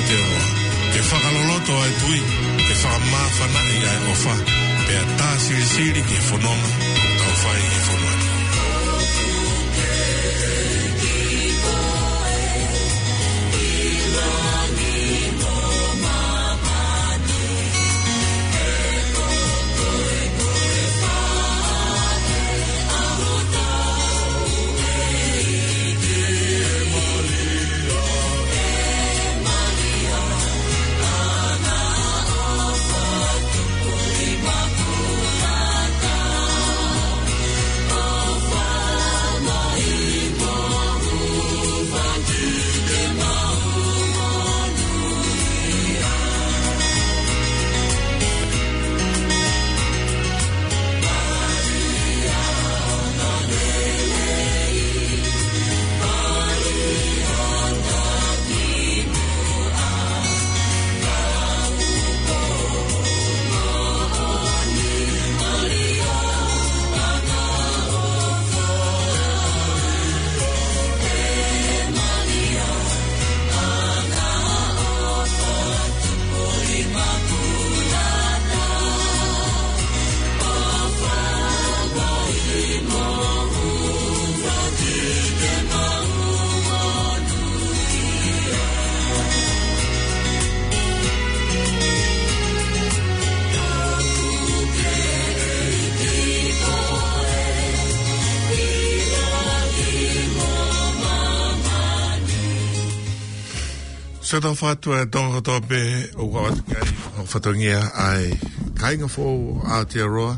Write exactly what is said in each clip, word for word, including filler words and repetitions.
Aotearoa, ke fakaloloto ʻa e tui, ke fakamāfanaʻi ʻa e ʻofa, pea tā silisili ki he fononga ʻoku tau fai ʻi he fonua ni. Siʻi tau fatu e Tonga kotoa pē ʻoku ʻoatu ki ai ʻa e fatongia ʻa e kāinga foʻou ʻa Aotearoa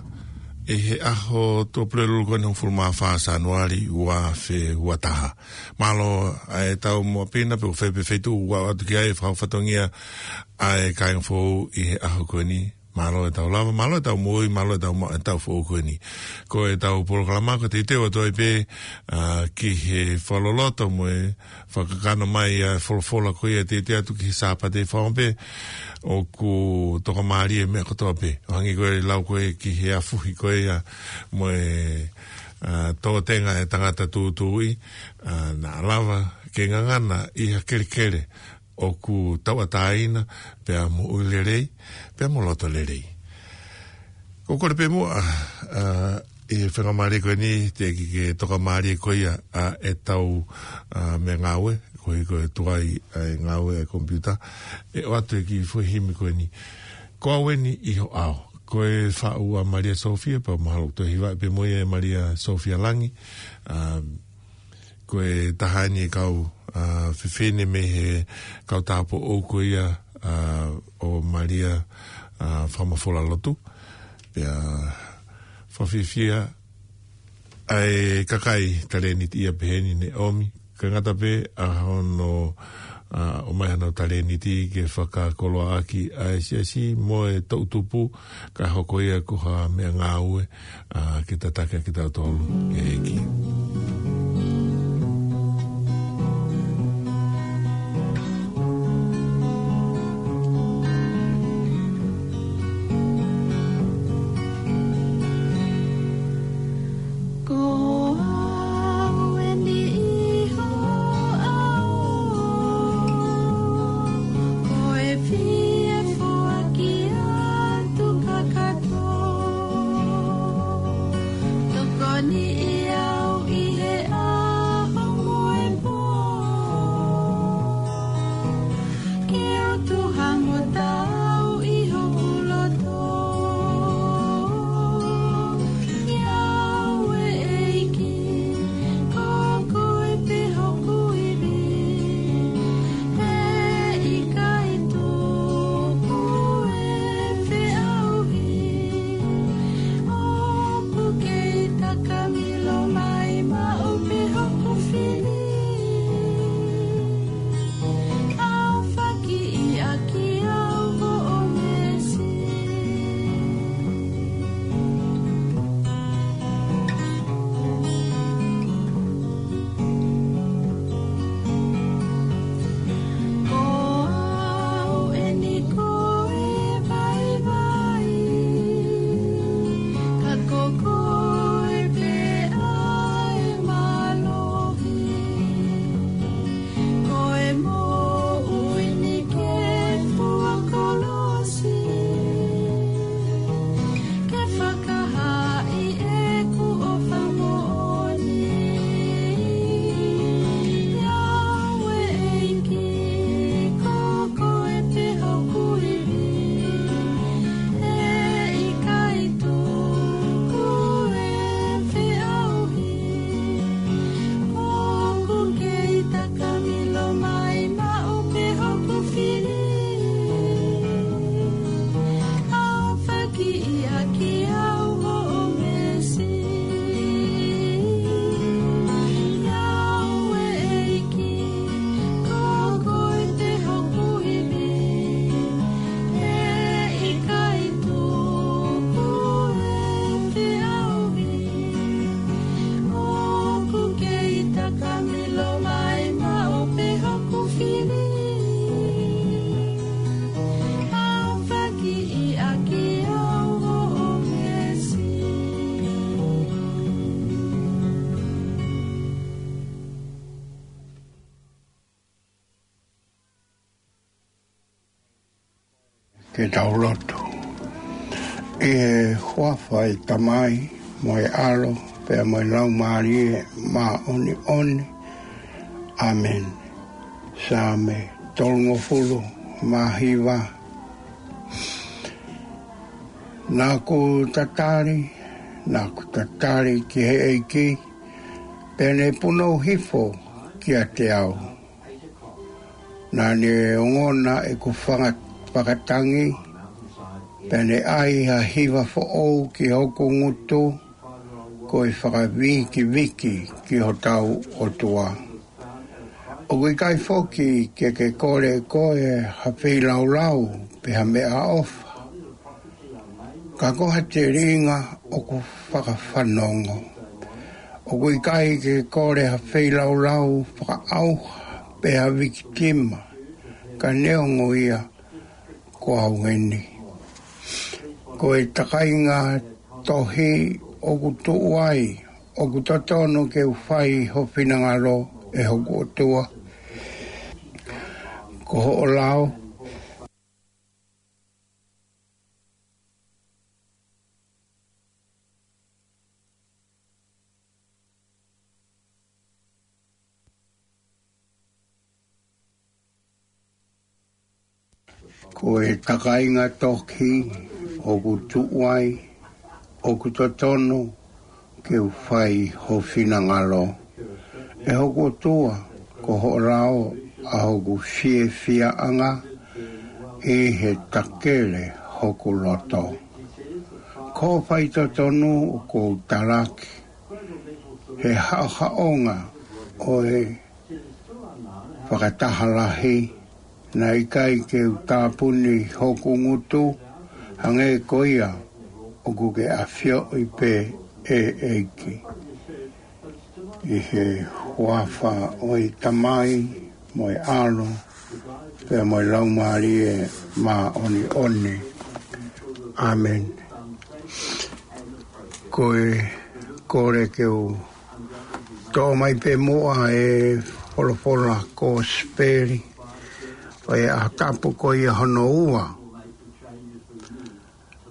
ʻi he ʻaho Tuʻapulelulu ko eni hongofulu mā fā Sānuali ua afe ua taha. Mālō ʻa e tau moʻa pina pe ʻoku fai pē feituʻu ʻoku ʻoatu ki ai fakau fatongia ʻa e kāinga foʻou ʻi he ʻaho ko eni. Mālō e tau lava, mālō e tau moʻui, mālō e tau ma-, e tau foʻou ko eni. Ko e tau polokalama ko e teuteu atu ai pē, ā, ki he fakaloloto mo e fakakakano mai ʻa e folofola ko ia teuteu atu ki he Sāpate fakaʻofoʻofa pē, ʻoku tokamālie e meʻa kotoa pē. ʻO hangē ko e lau ko ē ki he afuhi ko ia mo e, ā, tōtenga e tangata tūtuuʻi, ā, naʻa lava ke ngangana ʻi ha kelekele ʻoku tauʻatāina, pea mo ʻū lelei, pea mo loto lelei. Ko e kole pē muʻa, ā, ʻi he faingamālie ko eni, teʻeki ke tokamālie ko ia ʻa e tau, ā, meʻangāue, koeʻuhi ko e tuai ʻa e ngāue ʻa e komipiuta, ʻe ʻoatu e kiʻi foʻi himi ko eni. Ko Au Eni ʻi Ho ʻAo. Ko e faʻu ʻa Malia Sofia, pea mahalo ʻoku toe hivaʻi pē mo ia ʻe Malia Sofia Langi, ā, ko e taha eni e kau, ā, fefine mei he kau tāupoʻou ko ia, ā, ʻo Malia, ā, Fakamafola Lotu. Pea fakafiefia ʻa e kakai talēniti ia pehē ni ne ʻomi. Kae ngata pē ʻa hono, ā, ʻomai hano talēniti ke fakakoloaʻaki ʻa e siasi mo e toʻutupu, kae hoko ia ko ha meʻangāue, ā, ke tataki ʻaki kitautolu ki he ʻEiki. Ko Au Eni ʻi Ho ʻAo, ko e fie foaki atu kakato. Tokoniʻi au ʻi Ke tau lotu. ʻI he huafa ʻo e Tamai, mo e ʻAlo, pea mo e Laumālie Māʻoniʻoni. ʻĀmeni. Saame tolungofulu mā hiva. Naʻa ku tatali, naʻa ku tatali ki he ʻEiki, pea ne punou hifo kiate au. Naʻa ne ongona ʻeku fanga-, fakatangi, pea ne ʻai ha hiva foʻou ki hoku ngutu, ko e fakavikiviki ki hotau ʻOtua. ʻOku ʻikai foki ke ke kole ʻe koe ha feilaulau pe ha meʻaʻofa, ka ko ha telinga ʻoku fakafanongo. ʻOku ʻikai ke kole ha feilaulau fakaʻauha pe ha vikitima, ka neongo ia ko au eni. Ko e takainga tohi ʻoku tuʻu ai, ʻoku totonu ke u fai ho finangalo, ʻe hoku ʻOtua. Ko hoʻo lao. Ko e takainga tohi ʻoku tuʻu ai, ʻoku totonu ke u fai ho finangalo, ʻe hoku ʻOtua. Ko hoʻo lao ʻa hoku fiefiaʻanga, ʻi he takele hoku loto. Ko e faitotonu ʻoku ou talaki, he haʻohaʻonga ʻo e fakataha lahi, naʻe ʻikai ke u tāpuni hoku ngutu, hangē ko ia ʻoku ke ʻafioʻi pē, ʻe ʻEiki. ʻI he huafa ʻo e Tamai, mo e ʻAlo, pea mo e Laumālie Māʻoniʻoni. ʻĀmeni. Ko e kole ke u toʻo mai pē muʻa e folofola kosipeli ʻo e ʻaho tapu ko ia hono ua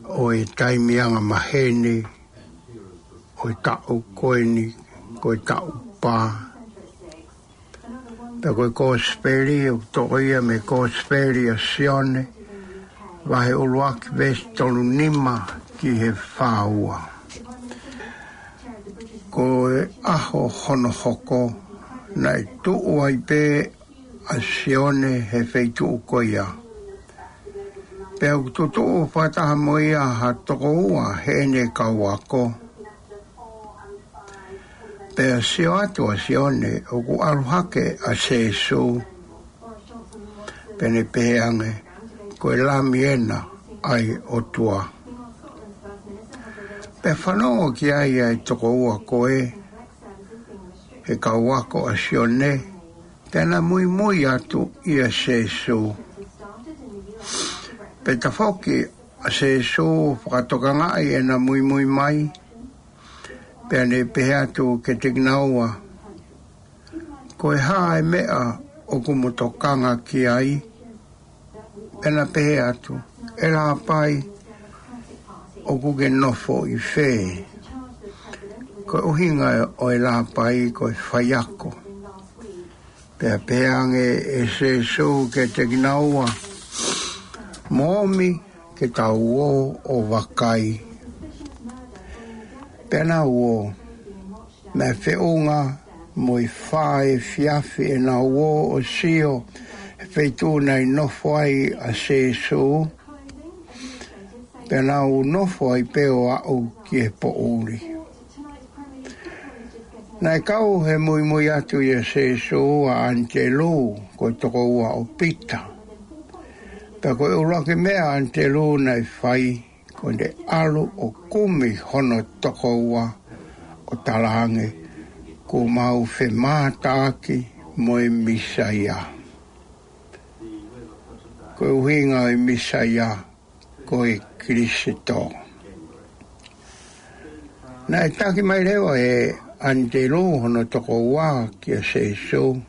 ʻo e taimi angamaheni ʻo e taʻu ko eni, ko e taʻu pā. Pea ko e kosipeli ʻoku toʻo ia mei he kosipeli ʻa Sione, vahe ʻuluaki, veesi tolu nima ki he fā ua. Ko e ʻaho hono hoko, naʻe tuʻu ai pē ʻa Sione he feituʻu ko ia. Pea ʻoku tutuʻu fakataha mo ia ha toko ua heʻene kau ako. Pea sio atu ʻa Sione ʻoku ʻalu hake ʻa Sēsū, pea ne pehē ange, ko e Lami ena ʻa e ʻOtua. Pea fanongo ki ai ʻa e toko ua ko ē he kau ako ʻa Sione, pea na muimui atu ʻia Sēsū. Pea tafoki ʻa Sēsū ʻo fakatokangaʻi ʻena muimui mai, pea ne pehē atu kiate kinaua, ko e hā e meʻa ʻoku mo tokanga ki ai? Pea na pehē atu, ʻe Lāpai, ʻoku ke nofo ʻi fē? Ko e ʻuhinga ʻo e Lāpai ko e faiako. Pea pehē ange ʻe Sēsū kiate kinaua, mo ōmi ke tau ō ʻo vakai. Pea nau ō, naʻe feʻunga mo e fā efiafi ʻenau ō ʻo sio he feituʻu naʻe nofo ai ʻa Sēsū, pea nau nofo ai pē ʻo aʻu ki he poʻuli. Naʻe kau he muimui atu ʻia Sēsū ʻa ʻAnitelū, ko e toko ua ʻo Pita. Pea ko e ʻuluaki meʻa ʻa ʻAnitelū naʻe fai, ko ʻene ʻalu ʻo kumi hono toko ua ʻo talaange, kuo mau femātaaki mo e Mīsaia. Ko e ʻuhinga ʻo e Mīsaia, ko e Kilisitō. Naʻe taki mai leva ʻe ʻAnitelū hono toko ua kia Sēsū,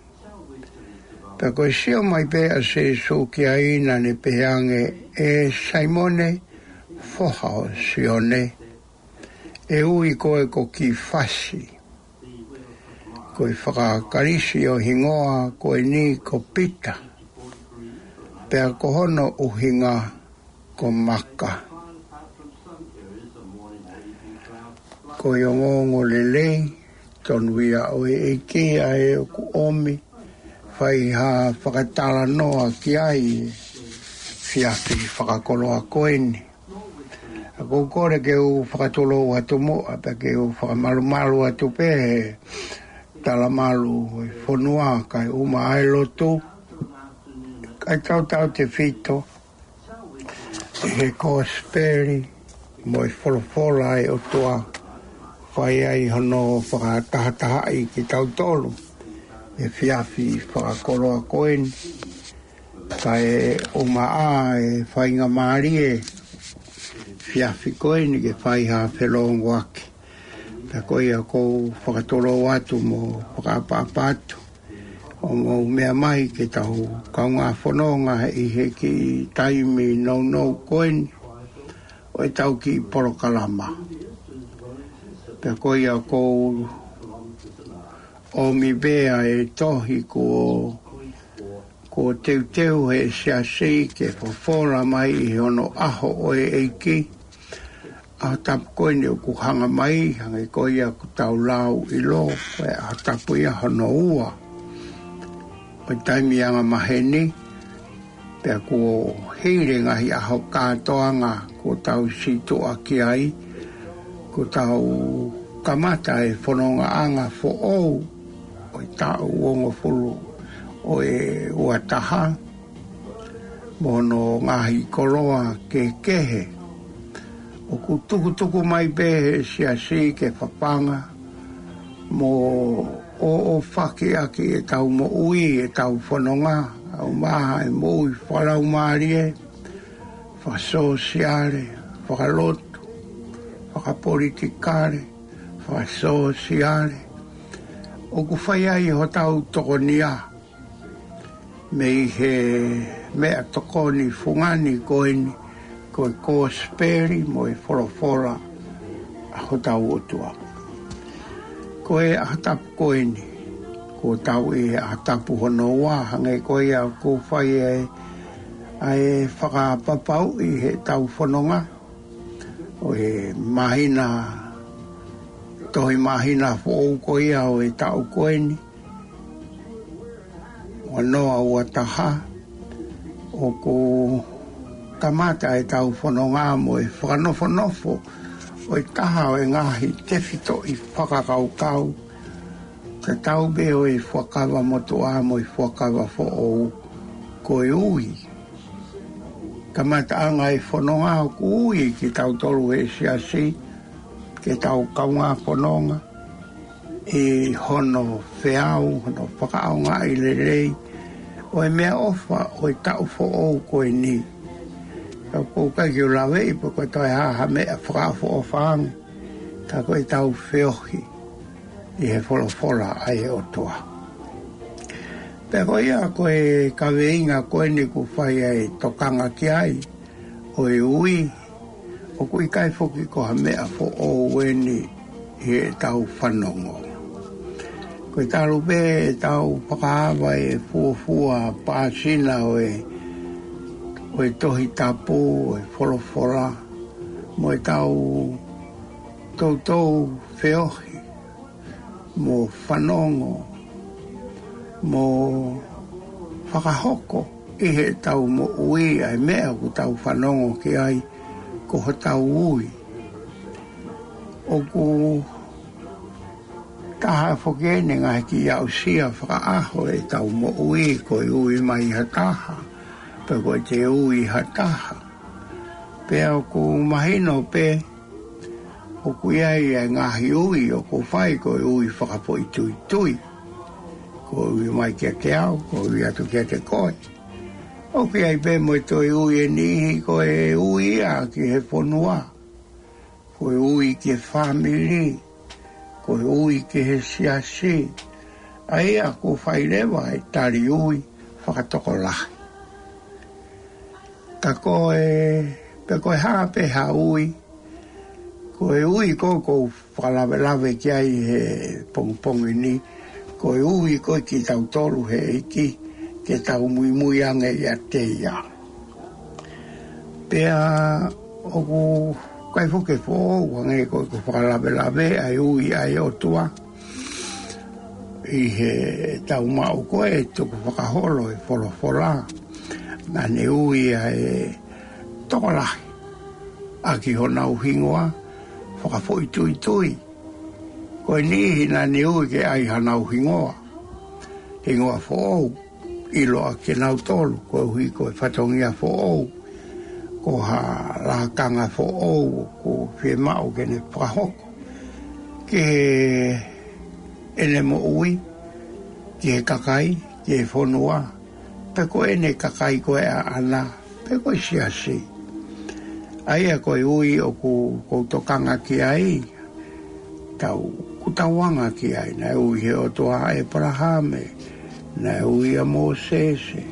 Pea ko e sio mai pē ʻa Sīsū ki ai naʻa ne pehē ange, ʻE Saimone, foha ʻo Sione, ʻe ui koe ko Kīfasi. Ko e fakaKalisi ʻo e hingoa ko eni ko Pita. Pea ko hono ʻuhinga ko Maka. Ko e ongoongolelei tonu ia ʻo e ʻEiki ʻa ē ʻoku ʻomi, fai ha fakatalanoa ki ai, efiafi fakakoloa ko eni. ʻOku ou kole ke u fakatulou atu muʻa, pea ke u fakamalumalu atu pē he talamalu ʻo e fonua, kae ʻumaʻā e lotu, kae tautautefito ʻi he kosipeli mo e folofola ʻa e ʻOtua, fai ai hono fakatahatahaʻi kitautolu, efiafi fakakoloa ko eni, kae ʻumaʻā e faingamālie, efiafi ko eni ke fai ha felongoaki. Pea ko ia ʻoku ou fakatulou atu mo fakaʻapaʻapa atu, ʻo mou meʻa mai ke tau kaungā fononga ʻi he kiʻi taimi nounou ko eni ʻo ʻetau kiʻi polokalama. Pea ko ia ʻoku ou ʻomi pē ʻa e tohi kuo, kuo teuteu ʻe he Siasi ke fofola mai ʻi hono ʻaho ʻo e ʻEiki. ʻAho tapu ko eni ʻoku hanga mai, hangē ko ia ʻoku tau lau ʻilo, ko e ʻaho tapu ia hono ua ʻo e taimi angamaheni, pea kuo hili e ngaahi ʻaho kātoanga kuo tau situʻa ki ai, kuo tau kamata e fonongaʻanga foʻou ʻo e taʻu uongofulu ʻo e ua taha, mo hono ngaahi koloa kehekehe. ʻOku tukutuku mai pē ʻe he Siasi ke fafanga mo ʻoʻofaki ʻaki ʻetau moʻui, ʻetau fononga, ʻumaʻā e moʻui fakalaumālie, fakasōsiale, fakalotu, fakapolitikale, fakasōsiale. ʻOku fai ai hotau tokonia mei he meʻatokoni fungani ko eni, ko e kosipeli mo e folofola ʻa hotau ʻOtua. Ko e ʻaho tapu ko eni, kuo tau ʻi he ʻaho tapu hono ua, hangē ko ia ʻoku fai ai ʻa e fakapapauʻi heʻetau fononga ʻo e māhina, tohi māhina foʻou ko ia ʻo e taʻu ko eni, ua noa ua taha, ʻoku kamata ʻetau fononga mo e fakanofonofo ʻo e taha ʻo e ngaahi tefitoʻi fakakaukau tatau pē ʻo e Fuakava Motuʻa mo e Fuakava Foʻou, ko e ui. Kamataʻanga e fononga ʻoku ui kitautolu ʻe he Siasi ke tau kaungā fononga ʻi hono feau, hono fakaʻaongaʻi lelei ʻo e meʻaʻofa ʻo e taʻu foʻou ko eni. Ka ʻoku ʻikai ke u laveʻi pe ko e toe hā ha meʻa fakaʻofoʻofa ange, ka ko ʻetau feohi ʻi he folofola ʻa e ʻOtua. Pea ko ia ko e kaveinga ko eni ʻoku fai ai e tokanga ki ai, ʻo e ui, ʻoku ʻikai foki ko ha meʻa foʻou eni ʻi heʻetau fanongo. Ko e talu pē ʻetau fakaava e fuofua pāsina ʻo e, ʻo e Tohi Tapu, ʻo e folofola, mo ʻetau toutou feohi, mo fanongo, mo fakahoko ʻi heʻetau moʻui ʻa e meʻa ʻoku tau fanongo ki ai, ko hotau ui. ʻOku taha foki eni e ngaahi kiʻi aʻusia fakaʻaho ʻetau moʻui, ko e ui mai ha taha, pe ko e te ui ha taha. Pea ʻoku mahino pē, ʻoku ʻi ai e ngaahi ui ʻoku fai ko e ui fakafoʻituitui. Ko e ui mai kiate au, ko e ui atu kiate koe. ʻOku ʻi ai pē mo e toe ui ʻe niʻihi ko e ui ia ki he fonua. Ko e ui ki he fāmili, ko e ui ki he siasi. ʻA ia ʻoku fai leva e tali ui fakatokolahi. Ka ko e, pe ko e hā pē ha ui, ko e ui ko ē ʻoku ou fakalavelave ki ai he pongipongi ni, ko e ui ko ē kitautolu he ʻEiki, ke tau muimui ange ʻiate ia. Pea ʻoku ʻikai foki ke foʻou ange ko ʻeku fakalavelave ʻa e ui ʻa e ʻOtua ʻi heʻetau maʻu ko ē tukufakaholo ʻo e folofola. Naʻa ne ui ʻa e tokolahi ʻaki honau hingoa fakafoʻituitui. Ko e niʻihi naʻa ne ui ke ʻai hanau hingoa, hingoa foʻou, ʻiloa kinautolu koeʻuhi ko e fatongia foʻou, ko ha lakanga foʻou ʻoku fiemaʻu ke ne fakahoko ki heʻene moʻui, ki he kakai, ki he fonua, pe ko ʻene kakai ko ē ʻaʻana, pe ko e siasi. ʻA ia ko e ui ʻoku, ʻoku ou tokanga ki ai, tau, ʻoku tau anga ki ai, naʻe ui he ʻOtua ʻa ʻĒpalahame, naʻe ui ʻa Mōsese,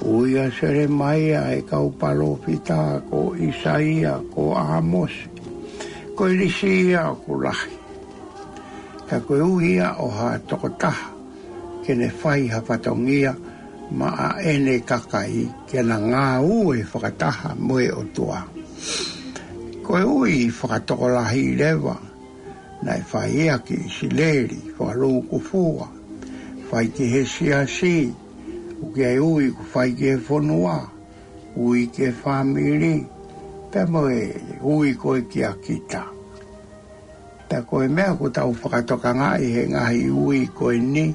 ui ʻa Selemaia, ʻa e kau palōfita, ko ʻĪsaia, ko ʻĀmosi, ko e lisi ia ʻoku lahi. Ka ko e ui ia ʻo ha tokotaha, ke ne fai ha fatongia maʻa ʻene kakai, ke na ngāue fakataha mo e ʻOtua. Ko e ui fakatokolahi leva, naʻe fai ia ki ʻIsileli, fakalūkufua, fai ki he siasi, ʻoku ʻi ai ui ʻoku fai ki he fonua, ui ki he fāmili, pea mo e ui ko ē kia kita. Pea ko e meʻa ʻoku tau fakatokangaʻi he ngaahi ui ko eni,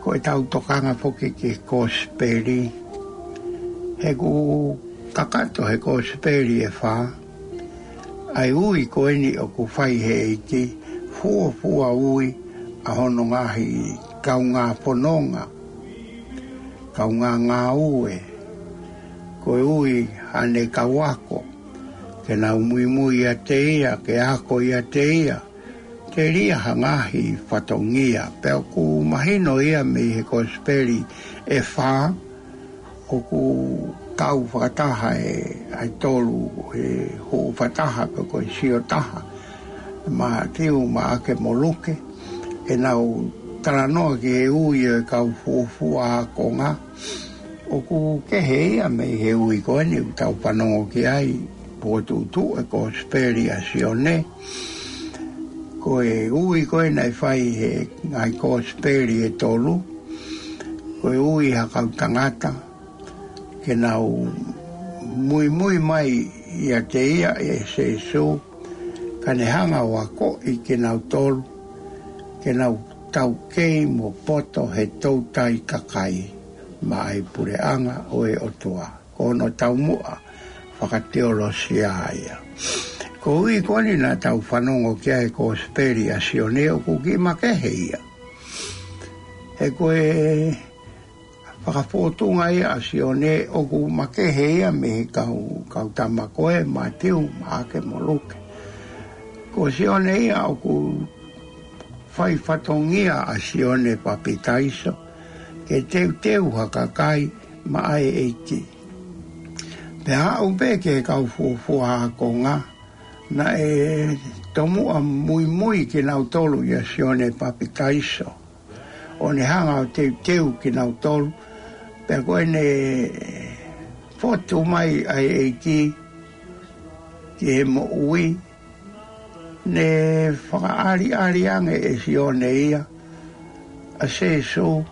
ko ʻetau tokanga foki ki he kosipeli. He ʻoku kakato he kosipeli ʻe fā ʻa e ui ko eni ʻoku fai he ʻEiki, fuofua ui ʻa hono ngaahi kaungā fononga, kaungā ngāue, ko e ui ʻa ʻene kau ako, ke nau muimui ʻiate ia, ke ako ʻiate ia, telia ha ngaahi fatongia. Pea ʻoku mahino ia mei he kosipeli ʻe fā, ʻoku kau fakataha ʻa e tolu, ʻa e hoʻo fakataha pe ko e siotaha, Mātiu, Maʻake mo Luke, ʻenau talanoa ki he ui ʻo e kau fuofua ākonga. ʻOku kehe ia mei he ui ko eni ʻoku tau fanongo ki ai, potuʻutuʻu e kosipeli ʻa Sione. Ko e ui ko ē naʻe fai he ngaahi kosipeli ʻe tolu, ko e ui ha kau tangata ke nau muimui mai ʻiate ia, ʻe Sēsū, ka ne hanga ʻo akoʻi kinautolu ke nau taukei mo poto he toutai kakai maʻa e puleʻanga ʻo e ʻOtua. Ko hono taumuʻa fakateolosia ia. Ko e ui ko eni naʻa tau fanongo ki ai he kosipeli ʻa Sione ʻoku kiʻi makehe ia. He ko e fakafōtunga ia ʻa Sione ʻoku makehe ia mei he kau, kau tama ko ē Mātiu, Maʻake mo Luke. Ko Sione ia ʻoku fai fatongia ʻa Sione Papitaiso ke teuteu ha kakai maʻa e ʻEiki. Pea aʻu pē ki he kau fuofua ākonga, naʻe tomuʻa muimui kinautolu ʻia Sione Papitaiso, ʻo ne hanga ʻo teuteu kinautolu. Pea ko ʻene fotu mai ʻa e ʻEiki ki he moʻui, ne fakaʻaliʻali ange ʻe Sione ia ʻa Sēsū.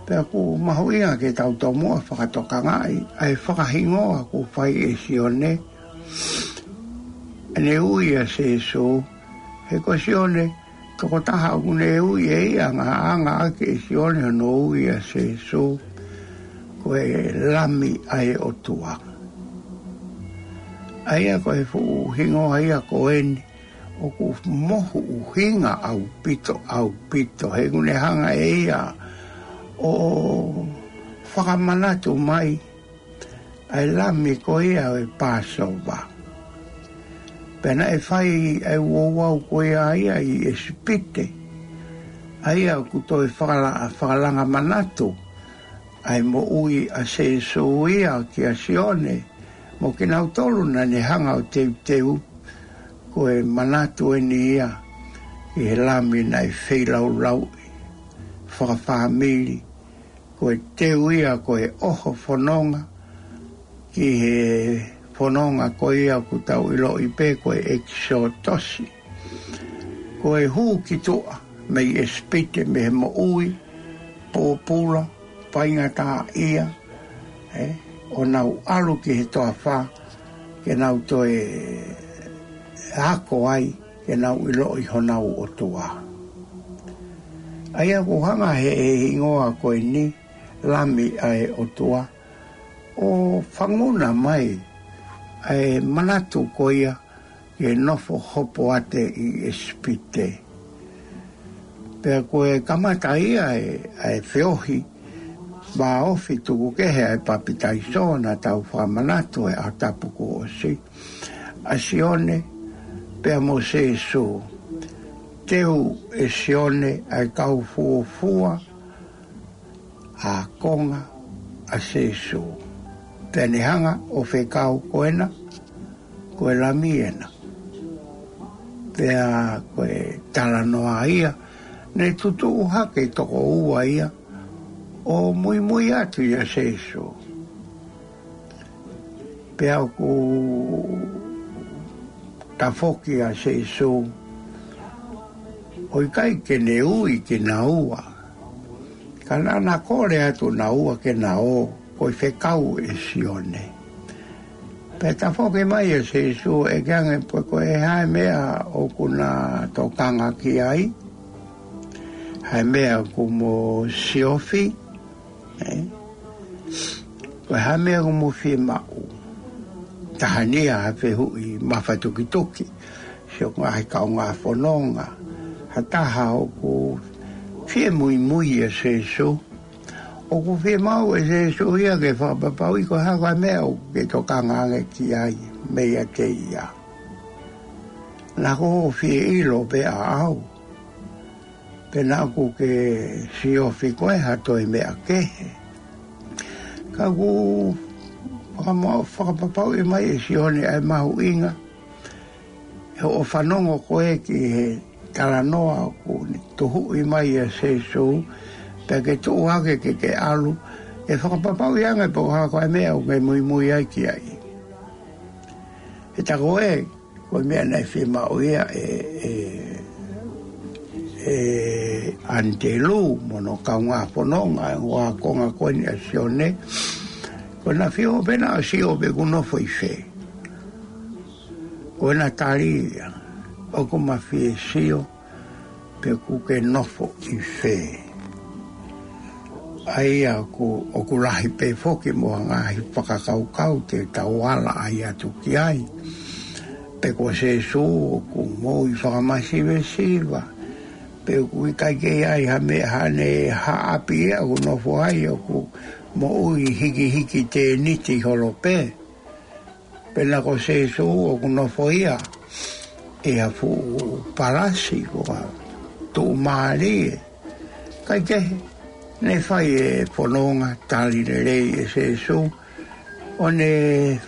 Pea ʻoku mahuʻinga ke tau tomuʻa fakatokangaʻi ʻa e fakahingoa ʻoku fai ʻe Sione ʻene ui ʻa Sēsū. He ko Sione, tokotaha ʻoku ne ui ʻe ia, angaʻanga ʻaki ʻe Sione hono ui ʻa Sēsū, ko e Lami ʻa e ʻOtua. ʻA ia ko e fuʻu hingoa ia ko eni, ʻoku mohu ʻuhinga ʻaupito, ʻaupito. He ʻoku ne hanga ʻe ia ʻo fakamanatu mai ʻa e Lami ko ia ʻo e Pāsova. Pea naʻe fai ʻa e ouau ko ia ʻa ia ʻi ʻIsipite, ʻa ia ʻoku toe fakala-, fakalanga manatu ʻa e moʻui ʻa Sēsū ia kia Sione, mo kinautolu naʻa ne hanga ʻo teuteu, ko e manatu eni ia ki he Lami naʻe feilaulauʻi, fakafāmili, ko e teu ia ko e ʻoho fononga, ki he fononga ko ia ʻoku tau ʻiloʻi pē ko e ʻEkisotosi. Ko e hū ki tuʻa mei ʻIsipite mei he moʻui pōpula, faingataʻaʻia, ē, ʻo nau ʻalu ki he toafa, ke nau toe ako ai, ke nau ʻiloʻi honau ʻOtua. ʻA ia ʻoku hanga he hingoa ko eni, Lami ʻa e ʻOtua, ʻo fanguna mai ʻa e manatu ko ia ki he nofo hopoate ʻi ʻIsipite. Pea ko e kamata ia ʻa e, ʻa e feohi vāofi tukukehe ʻa e papitaiso naʻa tau fakamanatu he ʻaho tapu kuo ʻosi, ʻa Sione pea mo Sēsū. Teu ʻe Sione ʻa e kau fuofua ākonga ʻa Sēsū. Pea ne hanga ʻo fekau ko ena, ko e Lami ena. Pea ko e talanoa ia, ne tutuʻu hake toko ua ia, ʻo muimui atu ia Sēsū. Pea ʻoku tafoki ʻa Sēsū, ʻo ʻikai ke ne ui kinaua. Ka naʻa na kole atu naua ke na ō, ko e fekau ʻe Sione. Pea tafoki mai ʻa Sēsū ʻeke ange pe ko e hā e meʻa ʻoku na tokanga ki ai. Hā e meʻa ʻoku mo siofi, ē? Ko e hā e meʻa ʻoku mo fiemaʻu. Taha eni ia ha fehuʻi mafatukituki. Sio ngaahi kaungā fononga. Ha taha ʻoku fie muimui ʻa Sēsū. ʻOku fiemaʻu ʻe Sēsū ia ke fakapapauʻi ko e hā e meʻa ʻoku ke tokanga ange ki ai meiate ia. Naʻa ko hoʻo fie ʻilo pē ʻaʻau. Pe naʻa ʻoku ke siofi koe ha toe meʻa kehe. Ka ʻoku fakama-, fakapapauʻi mai ʻe Sione ʻa e mahuʻinga ʻo hoʻo fanongo koe ki he talanoa ʻoku ne tuhuʻi mai ʻa Sēsū, pea ke tuʻu hake ke ke ʻalu, ʻe fakapapauʻi ange pe ko e hā e meʻa ʻoku ke muimui ai ki ai. He tā ko ē, ko e meʻa naʻe fiemaʻu ia ʻe, ʻe, ʻe ʻAnitelū mo hono kaungā fononga, ʻa e ākonga ko eni ʻa Sione. Ko ʻena fie ō pē ʻo sio pe ʻoku nofo ʻi fē. Ko ʻena tali ia, ʻoku ma fie sio pe ʻoku ke nofo ʻi fē. ʻA ia ʻoku, ʻoku lahi pē foki mo ha ngaahi fakakaukau te tau ala ai atu ki ai. Pe ko Sēsū ʻoku moʻui fakamasivesiva. Pe ʻoku ʻikai ke ʻi ai ha meʻa, haʻane haʻapi ia ʻoku nofo ai, ʻoku moʻui hikihiki tēniti holo pē. Pe naʻa ko Sēsū ʻoku nofo ia ʻi ha fuʻu palasi ko ha tuʻumālie. Kae kehe, ne fai e fononga tali lelei ʻe Sēsū, ʻo ne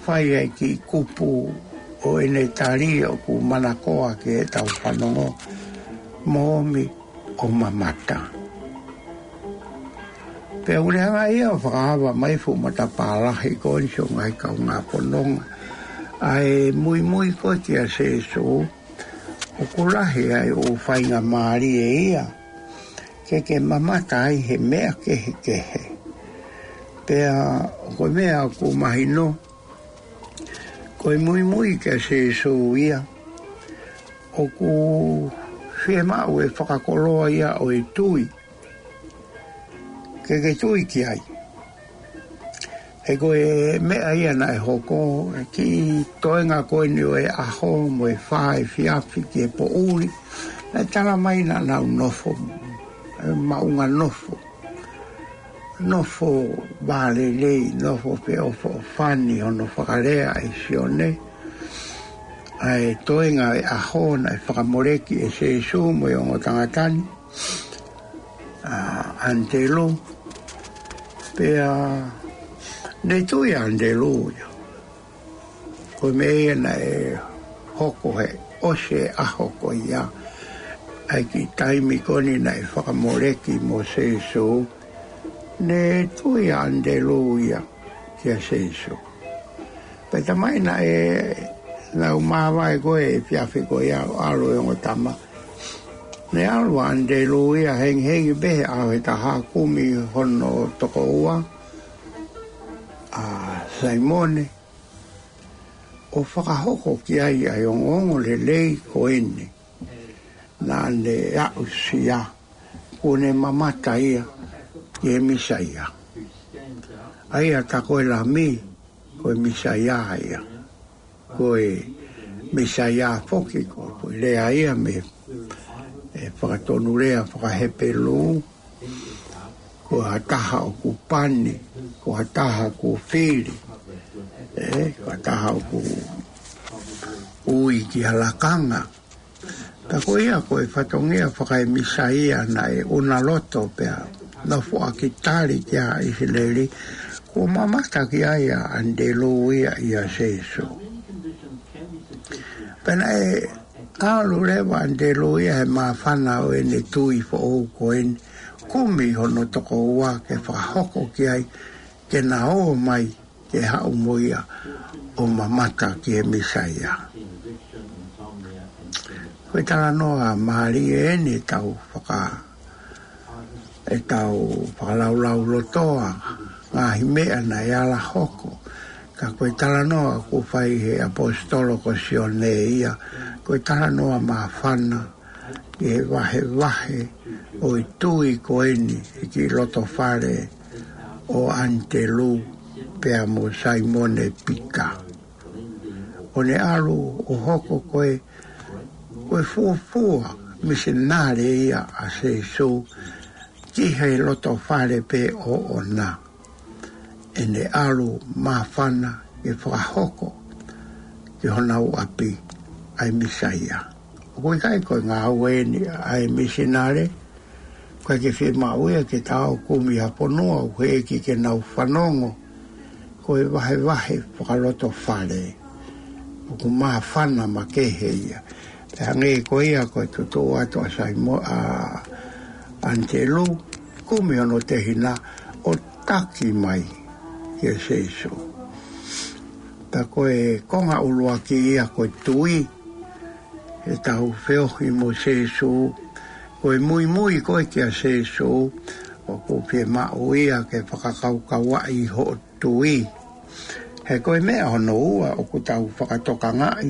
fai ai e kiʻi kupu ʻo ʻene tali ʻoku manakoa ke tau fanongo. Moʻomi ʻo mamata. Pea ʻoku ne hanga ia ʻo fakaava mai e fuʻu matapā lahi ko eni, sio ngaahi kaungā fononga. ʻA e muimui ko ē kia Sēsū, ʻoku lahi ʻa e ʻū faingamālie ia ke ke mamata ai he meʻa kehekehe. Pea ko e meʻa ʻoku mahino, ko e muimui kia Sēsū ia, ʻoku fiemaʻu e fakakoloa ia ʻo e tui. Ke ke tui ki ai. He ko e meʻa ia naʻe hoko, e kiʻi toenga ko eni ʻo e ʻaho mo e fā efiafi ki he poʻuli. Naʻe tala mai naʻa nau nofo, e maʻunga nofo. Nofo vālelei, nofo feʻofoʻofani hono fakalea ʻe Sione. ʻA e toenga e ʻaho naʻe fakamoleki ʻe Sēsū mo e ongo tangata ni, ʻa ʻAnitelū. Pea ne tui ʻa ʻAnitelū ia. Ko e meʻa ia naʻe hoko he ʻosi e ʻaho ko ia, ʻa e kiʻi taimi ko eni naʻe fakamoleki mo Sēsū, ne tui ʻa ʻAnitelū ia kia Sēsū. Pea taimi naʻe nau māvae ko ē he efiafi ko ia ʻo ʻalu e ongo tama, ne ʻalu ʻa ʻAnitelū ia hengihengi pē he ʻaho ʻe taha, kumi hono tokoua, ʻa Saimone, ʻo fakahoko ki ai ʻa e ongoongolelei ko eni naʻa ne aʻusia, kuo ne mamata ia ki he Mīsaia. ʻA ia tā ko e Lami, ko e Mīsaia ia. Ko e Mīsaia foki ko e lea ia mei he fakatonulea fakaHepelū, ko ha taha ʻoku pani, ko ha taha ʻoku fili, ē, ko ha taha ʻoku ui ki ha lakanga. Tā ko ia ko e fatongia fakaemīsaia naʻe ʻunaloto pea naʻe foaki tali kia ʻIsileli, kuo mamata ki ai ʻa ʻAnitelū ia ʻia Sēsū. Pea naʻe ʻalu leva ʻa ʻAnitelū ia he māfana ʻo ʻene tui foʻou ko eni, kumi hono tokoua ke fakahoko ki ai, ke na ō mai ke haʻu mo ia ʻo mamata ki he Mīsaia. Ko e talanoa mālie eni ʻetau faka-, ʻetau fakalaulaulotoa ngaahi meʻa naʻe ala hoko. Ka ko e talanoa kuo fai he ʻaposetolo ko Sione ia, ko e talanoa māfana ki he vahevahe ʻo e tui ko eni ʻi he kiʻi lotofale ʻo ʻAnitelū pea mo Saimone Pita. ʻO ne ʻalu ʻo hoko ko e, ko e fuofua misinale ia ʻa Sēsū ki he lotofale pē ʻoʻona. ʻEne ʻalu māfana ke fakahoko ki honau ʻapi ʻa e Mīsaia. ʻOku ʻikai ko e ngāue eni ʻa e misinale, ʻoku ʻikai ke fiemaʻu ia ke ta ō ʻo kumi ha fonua ʻoku ʻeiki ke nau fanongo. Ko e vahevahe fakalotofale ʻoku māfana makehe ia. Pea hangē ko ia ko e tutuʻu atu ʻa Saimo-, ʻa ʻAnitelū, kumi hono tehina ʻo taki mai kia Sēsū. Tā ko e konga ʻuluaki ia ko e tui, ʻetau feohi mo Sēsū, ko e muimui ko ē kia Sēsū, ʻoku fiemaʻu ia ke fakakaukauaʻi hoʻo tui. He ko e meʻa hono ua ʻoku tau fakatokangaʻi,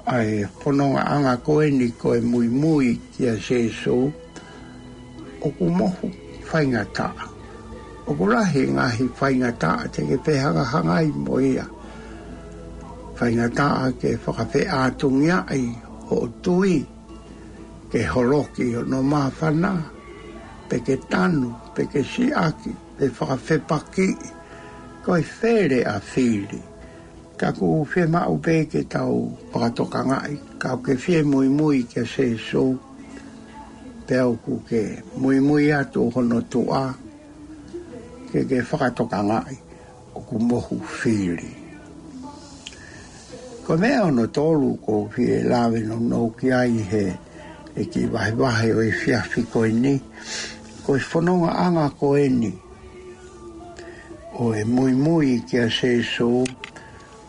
ʻa e fonongaʻanga ko eni ko e muimui kia Sēsū, ʻoku mohu faingataʻa. ʻOku lahi ngaahi faingataʻa te ke fehangahangai mo ia. Faingataʻa ke fakafeʻātungiaʻi hoʻo tui, ke holoki hono māfana, pe ke tanu, pe ke siʻaki, pe fakafepakiʻi, ko e fele ʻa fili. Ka ʻoku fiemaʻu pē ke tau fakatokangaʻi, ka ʻoku ke fie muimui kia Sēsū, pea ʻoku ke muimui atu hono tuʻa, ke ke fakatokangaʻi ʻoku mohu fili. Ko e meʻa hono tolu ʻoku ou fie lave nounou ki ai he, he kiʻi vahevahe ʻo e efiafi ko eni, ko e fonongaʻanga ko eni ʻo e muimui kia Sēsū,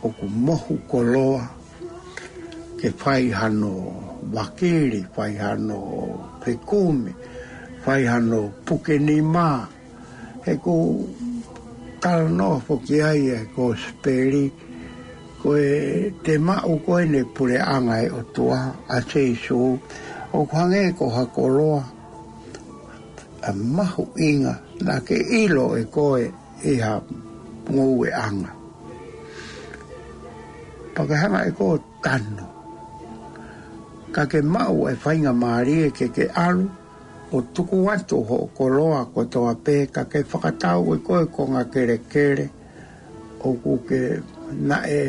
ʻoku mohu koloa ke fai hano vakili, fai hano fekumi, fai hano pukenima. He ʻoku talanoa foki ai e Kosipeli, ko e te maʻu ko eni e puleʻanga ʻo e ʻOtua ʻa Sēsū, ʻoku hangē ko ha koloa ʻa mahuʻinga naʻa ke ʻilo ʻe koe ʻi ha ngoueʻanga. Pea ke hanga ʻe koe ʻo tanu, ka ke maʻu e faingamālie ke ke ʻalu ʻo tuku atu hoʻo koloa kotoa pē, ka ke fakatau ʻe koe konga kelekele, ʻoku ke naʻe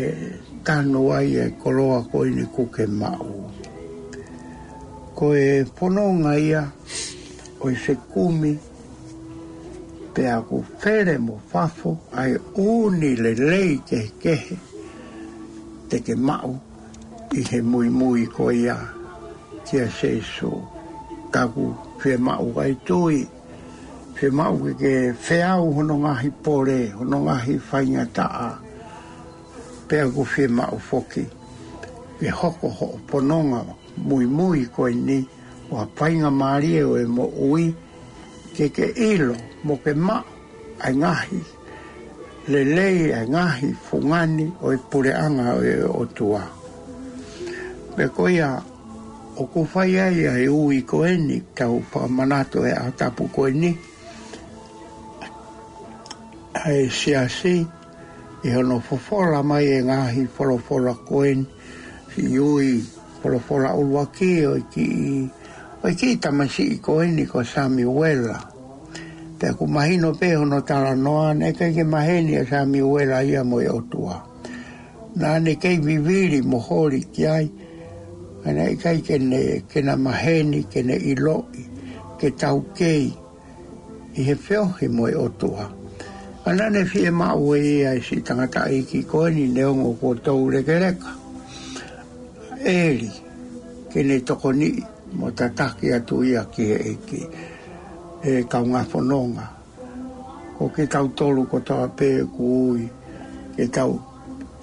tanu ai e koloa ko eni ʻoku ke maʻu. Ko e fononga ia ʻo e fekumi Pea ʻoku fele mo fafo ʻa e ʻū lelei kehekehe te ke maʻu ʻi he muimui ko ia kia Sēsū. Ka ʻoku fiemaʻu ʻa e tui, fiemaʻu ke ke feau hono ngaahi pole, hono ngaahi faingataʻa. Pea ʻoku fiemaʻu foki ke hoko hoʻo pononga muimui ko eni, ʻo e faingamālie ʻo e moʻui, ke ke ʻilo mo ke maʻu ʻa e ngaahi lelei, ʻa e ngaahi fungani ʻo e puleʻanga ʻo e ʻOtua. Pea ko ia ʻoku fai ai ʻa e ui ko eni, tau fakamanatu ʻa e ʻaho tapu ko eni, ʻa e siasi, ʻi hono fofola mai e ngaahi folofola ko eni, siʻi ui folofola ʻuluaki ʻo e kiʻi, ʻo e kiʻi tamasiʻi ko eni ko Samiuela. Pea ʻoku mahino pē hono talanoa, naʻe ʻikai ke maheni ʻa Samiuela ia mo e ʻOtua. Naʻa ne kei vivili mo holi ki ai, ka naʻe ʻikai ke ne, ke na maheni, ke ne ʻiloʻi, ke taukei ʻi he feohi mo e ʻOtua. Ka naʻa ne fiemaʻu ʻe ia ʻa e siʻi tangataʻeiki ko eni, neongo kuo toulekeleka ʻEli, ke ne tokoniʻi mo tataki atu ia ki he ʻEiki. ʻE kaungā fononga, ko kitautolu kotoa pē ʻoku ui ke tau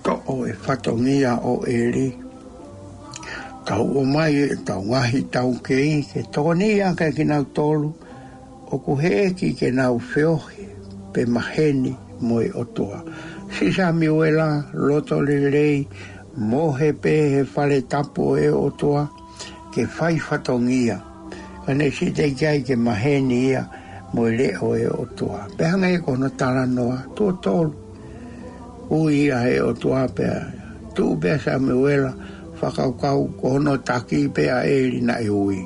toʻo e fatongia ʻo ʻEli. Tau ʻomai ʻetau ngaahi taukei ke tokoniʻi ʻaki kinautolu ʻoku heʻeki ke nau feohi pe maheni mo e ʻOtua. Siʻi Samiuela, loto lelei, mohe pē he fale tapu ʻo e ʻOtua, ke fai fatongia. Ka ne siʻi teʻeki ai ke maheni ia mo e leʻo ʻo e ʻOtua. Pea hangē ko hono talanoa, tuʻo tolu, ui ia ʻe he ʻOtua pea tuʻu pē ʻa Samiuela, fakakaukau ko hono taki pē ʻa ʻEli naʻe ui.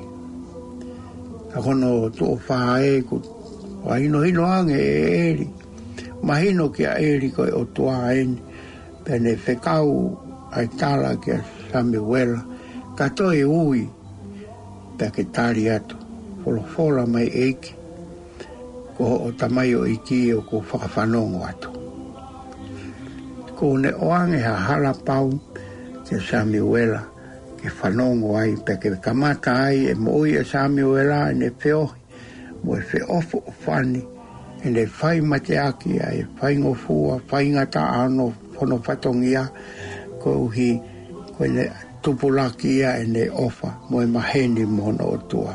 Ka ko hono tuʻo fā ē, kuo fakahinohino ange ʻe ʻEli, mahino kia ʻEli ko e ʻOtua eni, pea ne fekau ʻa e tala kia Samiuela, ka toe ui, pea ke tali atu, folofola mai ʻEiki, ko hoʻo tamaioʻeiki ʻoku fakafanongo atu. Kuo ne ʻoange ha hala pau kia Samiuela ke fanongo ai, pea ke kamata ai e moʻui ʻa Samiuela, ʻene feohi mo e feʻofoʻofani, ʻene fai mateaki ʻa e faingofua, faingataʻa ʻo hono fatongia, koeʻuhi ko ʻene tupulaki ia ʻene ʻofa mo e maheni mo hono ʻOtua.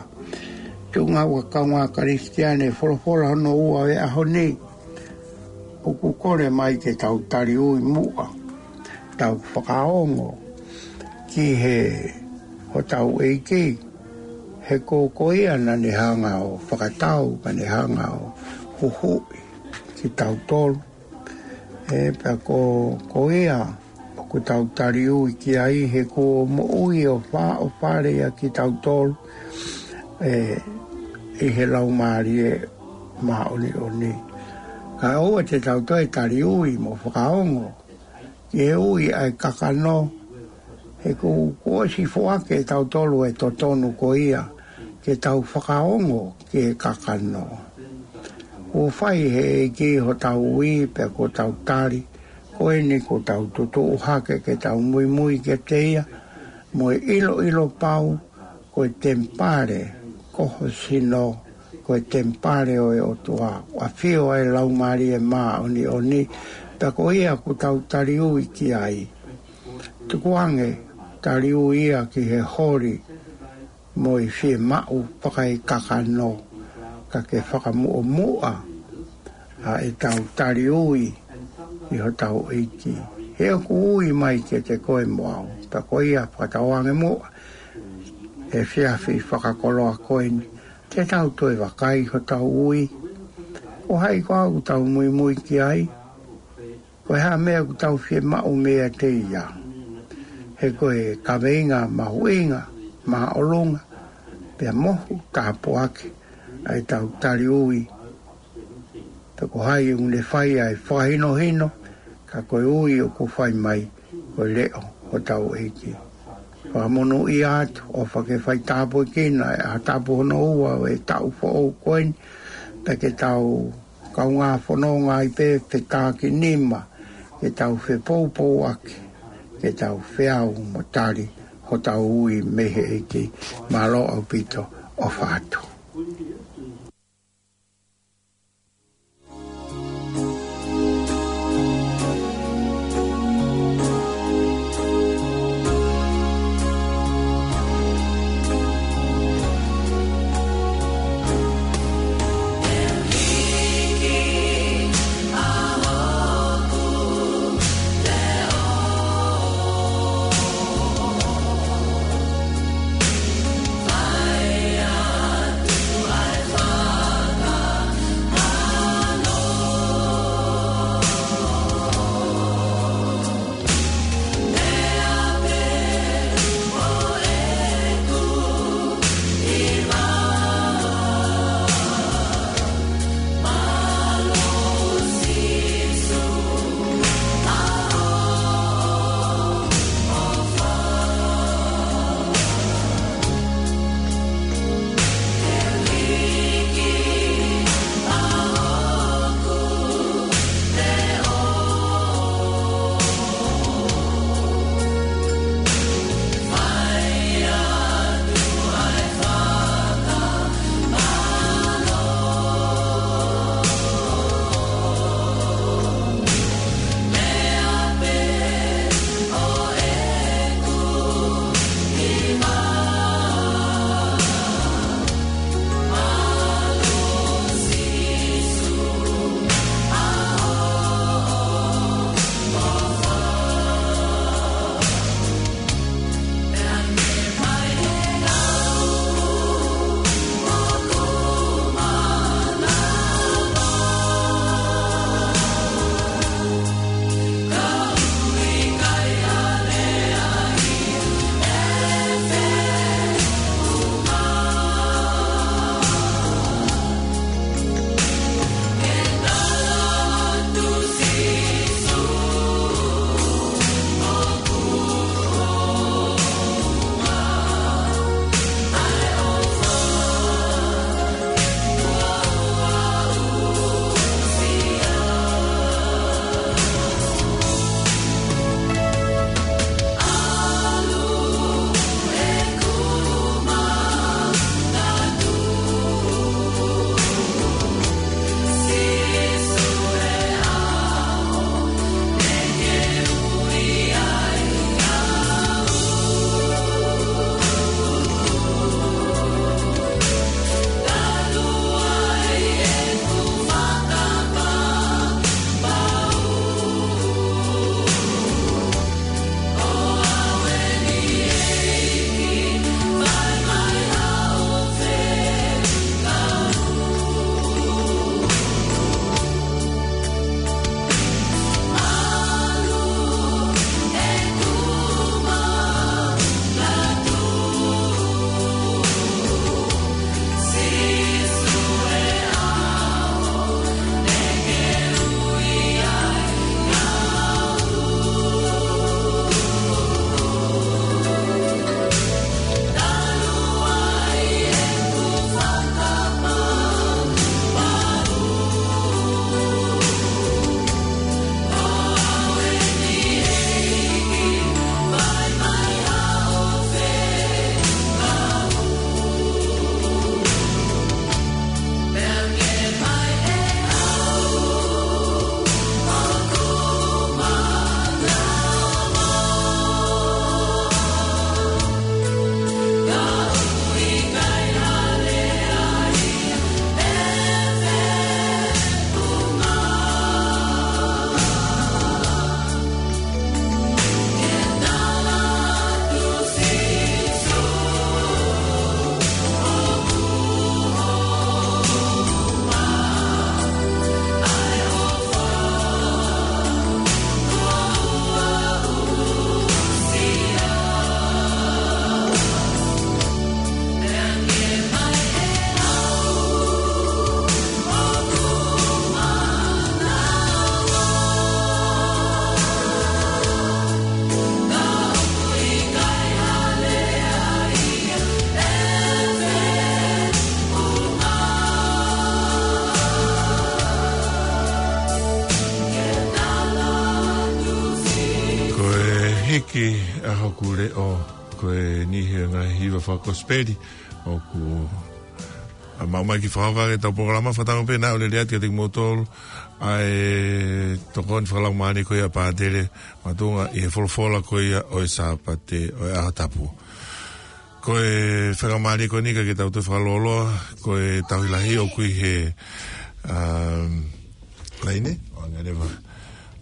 Tuʻunga ua kaungā Kalisitiane, folofola hono ua ʻo e ʻaho ni, ʻoku kole mai ke tau tali ui muʻa, tau fakaongo ki he hotau ʻEiki, he ko, ko ia naʻa ne hanga ʻo fakatau, ka ne hanga ʻo huhuʻi kitautolu. ʻE, pea ko, ko ia ʻoku tau tali ui ki ai, he kuo moʻui ʻo fā ʻo fale ia kitautolu, ʻe, ʻi he Laumālie Māʻoniʻoni. Kae ʻoua te tau toe tali ui mo fakaongo ki he ui ʻa e kakano, he kuo, kuo ʻosi foaki ʻe tautolu e totonu ko ia ke tau fakaongo ki he kakano. Kuo fai ʻe he ʻEiki hotau ui, pea kuo tau tali, ko eni kuo tau tutuʻu hake ke tau muimui kiate ia, mo e ʻiloʻilo pau, ko e temipale, ko ho sino, ko e temipale ʻo e ʻOtua, ʻafio ai e Laumālie Māʻoniʻoni, pea ko ia ʻoku tau tali ui ki ai. Tukuange, tali ui ia ki he holi mo e fiemaʻu fakaekakano, ka ke fakamuʻomuʻa ʻa ʻetau tali ui ki hotau ʻEiki. He ʻoku ui mai kiate koe mo au, pea ko ia fakatauange muʻa he efiafi fakakoloa ko eni, te tau toe vakai hotau ui. Ko hai koā ʻoku tau muimui ki ai? Ko e hā e meʻa ʻoku tau fiemaʻu meiate ia? He ko e kaveinga mahuʻinga, māʻolunga, pea mohu tāpuaki ʻa ʻetau tali ui. Pea ko hai ʻoku ne fai ʻa e fakahinohino, ka ko e ui ʻoku fai mai, ko e leʻo hotau ʻEiki. Fakamonūʻia atu, ʻofa ke fai tāpuekina e ʻaho tapu hono ua ʻo e taʻu foʻou ko eni, pea ke tau kaungā fononga ai pē fekākinima, ke tau fepoupouaki, ke tau feau mo tali hotau ui mei he ʻEiki. Mālō ʻaupito, ʻofa atu. Hiki ʻa hoku leʻo, ko e niʻihi ʻo e ngaahi hiva fakakosipeli ʻoku ʻomai ke fakahoko ʻaki ʻetau polokalama. Fakatauange pē naʻa ʻoku lele atu kiate kimoutolu ʻa e tokoni fakalaumālie ko ia ʻa Pātele Matuʻunga ʻi he folofola ko ia ʻo e Sāpate ʻo e ʻaho tapu. Ko e faingamālie ko eni ka ke tau toe fakalōloa, ko e tauhi lahi ʻoku ʻi he, um, laine, ʻo angaleva.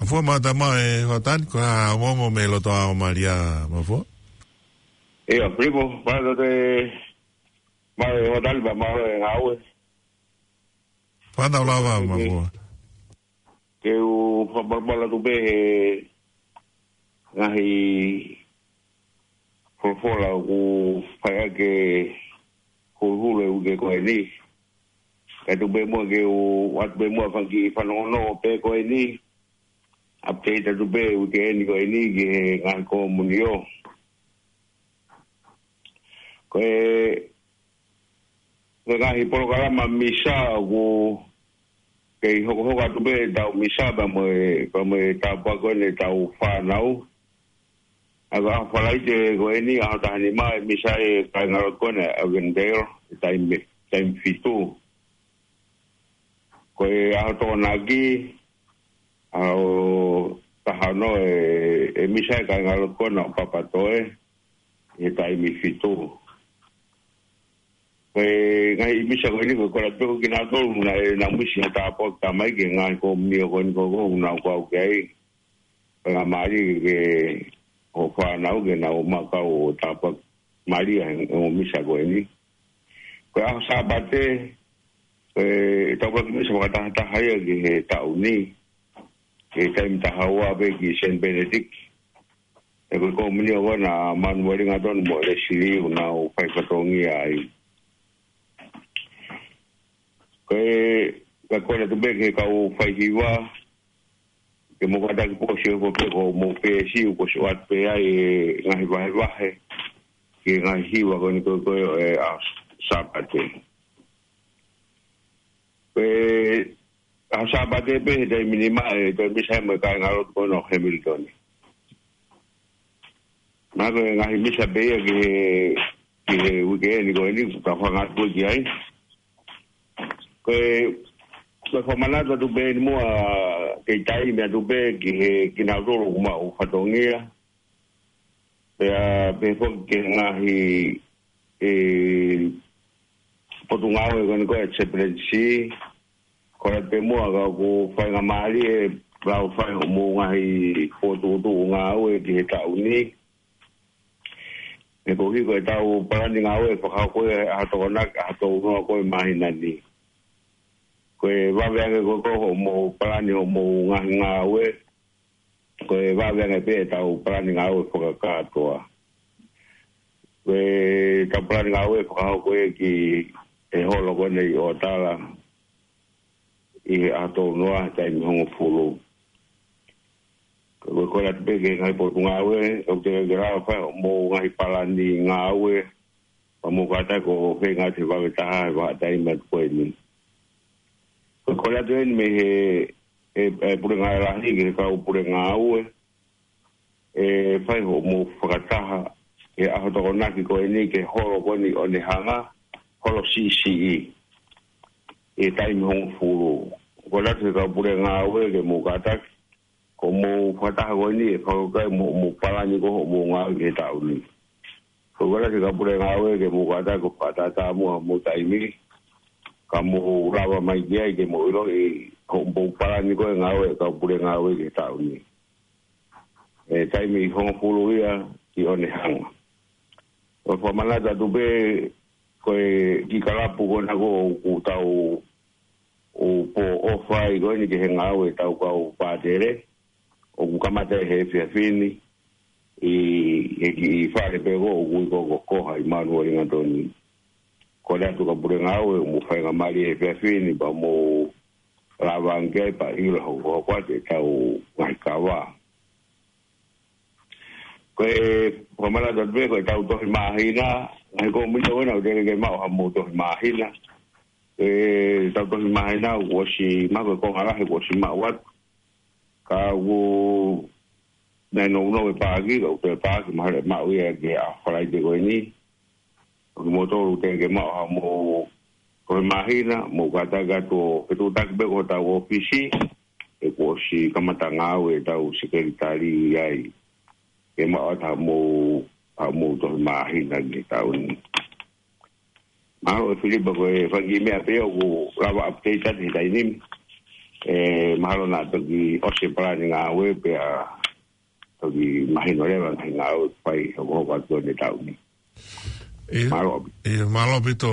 Mafua, Matamā, ʻe Hotani, ko e hā hoʻo ongoongo mei loto ʻa Malia, Mafua? ʻIo, Filipo, mālō e, mālō e Hotani, pea mālō e ngāue. Fānau lava, Mafua. Ke u fakapalopalo atu pē he ngaahi folofola ʻoku fai ʻaki e huluhulu e uike ko eni. Kae tuku pē muʻa ke u ʻoatu pē muʻa ha kiʻi fanongonongo pē ko eni. Update atu pē uike eni ko eni ki he ngaahi komunio. Ko e, ko e ngaahi polokalama misa ʻoku kei hokohoko atu pē ʻetau misa pea mo e, pea mo e tāpuaki ko eni ʻetau fānau. ʻA ia ko e ʻaho Falaite ko eni, ʻaho taha nima, ʻe misa e kāingalotu ko eni ʻa Avondale, ʻi he taimi, taimi fitu. Ko e ʻaho Tokonaki, ʻaho taha ono, ʻe, ʻe misa e kāingalotu ko ena ʻo Papatoe, ʻi he taimi fitu. Ko e ngaahi misa ko eni ko e kole atu pē ko kinautolu naʻa nau misi ha tāpuaki talamai ki he ngaahi komunio ko eni ko ē ʻoku nau kau ki ai. Faingamālie ke hoʻo fānau ke nau maʻu ha tāpuaki mālie he ongo misa ko eni. Ko e ʻaho Sāpate, ko e tāpuaki misa fakatahataha ia ki he taʻu ni, ki he taimi taha ua pē ki Saint Benedict. ʻE ko e komunio ko ena ʻa Manueli Ngatonu mo Lesili ʻoku nau fai fatongia ai. Ko e, ka kole atu pē ki he kau faihiva, ke mou kātaki, pō si ʻofa pē ko mou pēsi, ʻoku ʻosi ʻoatu pē ai e ngaahi vahevahe ki he ngaahi hiva ko eni ko ē ʻo e ʻaho Sāpate. Ko e ʻaho Sāpate pē he taimi nima ʻe toe misa ai mo e kāingalotu ko ena ʻo Hamilton. Naʻa ko e ngaahi misa pē ia ki he, ki he uike eni ko eni, ka fanga atu ki ai. Ko e, ko e fakamanatu atu pē eni muʻa, kei taimi atu pē ki he kinautolu ʻoku maʻu fatongia. Pea pehē foki ki he ngaahi, e, potungāue ko eni ko e chaplaincy, kole atu pē muʻa ka ʻoku faingamālie e lau fai hoʻomou ngaahi fokotuʻutuʻu ngāue ki he taʻu ni. He koeʻuhi ko ʻetau palani ngāue fakahoko ia he ʻaho Tokonaki, ʻaho tolu noa ko ē māhina ni. Ko e vave ange ko ē ko hoʻomou palani hoʻomou ngaahi ngāue, ko e vave ange pē ʻetau palani ngāue fakakātoa. Ko ʻetau palani ngāue fakahoko ia ki he holo ko eni ʻi ʻOtala ʻi he ʻaho tolu noa he taimi hongofulu. Ko e kole atu pē ki he ngaahi potungāue, ʻoku teʻeki ke lava fai hoʻomou ngaahi palani ngāue, pea mou kātaki ʻo feinga atu he vave taha he vahaʻataimi atu ko eni. Ko e kole atu eni mei he, e, e puleʻanga lahi ki he kau pule ngāue, ʻe fai hoʻomou fakataha he ʻaho Tokonaki ko eni ki he holo ko eni ʻo Onehunga, holo siʻisiʻi, ʻi he taimi hongofulu. Kole atu ki he kau pule ngāue ke mou kātaki, ko hoʻomou fakataha ko eni ʻe fakakaukau mo, mo palani ko hoʻomou ngāue ki he taʻu ni. Ko e kole atu ki he kau pule ngāue ke mou kātaki ʻo fakatātā muʻa hoʻomou taimi, ka mou lava mai ki ai ke mou ʻiloʻi hoʻomou palani ko e ngāue kau pule ngāue ki he taʻu ni. ʻE taimi hongofulu ia ki Onehunga. ʻOku fakamanatu atu pē ko e kiʻi kalapu ko ena ko ē ʻoku tau ʻo pō ʻofa ai ko eni ki he ngāue ʻetau kau pātele, ʻoku kamata he efiafi ni ʻi he kiʻi fale pē ko ē ʻoku ui ko Kokoha ʻi Manueli Ngatonu. Kole atu ki he kau pule ngāue, mou faingamālie he efiafi ni pea mou lava ange ki ai pea ʻilo hokohoko atu ʻetau ngaahi kava. Ko e fakamanatu atu pē ko ʻetau tohi māhina, ngaahi komunio ko ena ʻoku teʻeki ke maʻu haʻamou tohi māhina. ʻEtau tohi māhina kuo ʻosi maʻu, ko e konga lahi kuo ʻosi maʻu atu. Ka ʻoku naʻe nounou e paaki, ka ʻoku toe paaki, mahalo ʻe maʻu ia ki he ʻaho Falaite ko eni. ʻOku mou tolu te ke maʻu ha mou toe māhina, mou kātaki atu ʻo fetuʻutaki pē ko hotau ʻōfisi, he kuo ʻosi kamata ngāue ʻetau sekelitali ai. Ke maʻu atu ha mou, ha mou toe māhina ki he taʻu ni. Mahalo ʻe Filipa ko e fanga kiʻi meʻa pē ʻoku lava update atu he taimi ni. ʻE, mahalo naʻa toki ʻosi e palani ngāue pea toki mahino leva ngaahi ngāue ʻoku fai hokohoko atu ʻi he taʻu ni. ʻIo, Mālō. ʻIo, mālō ʻaupito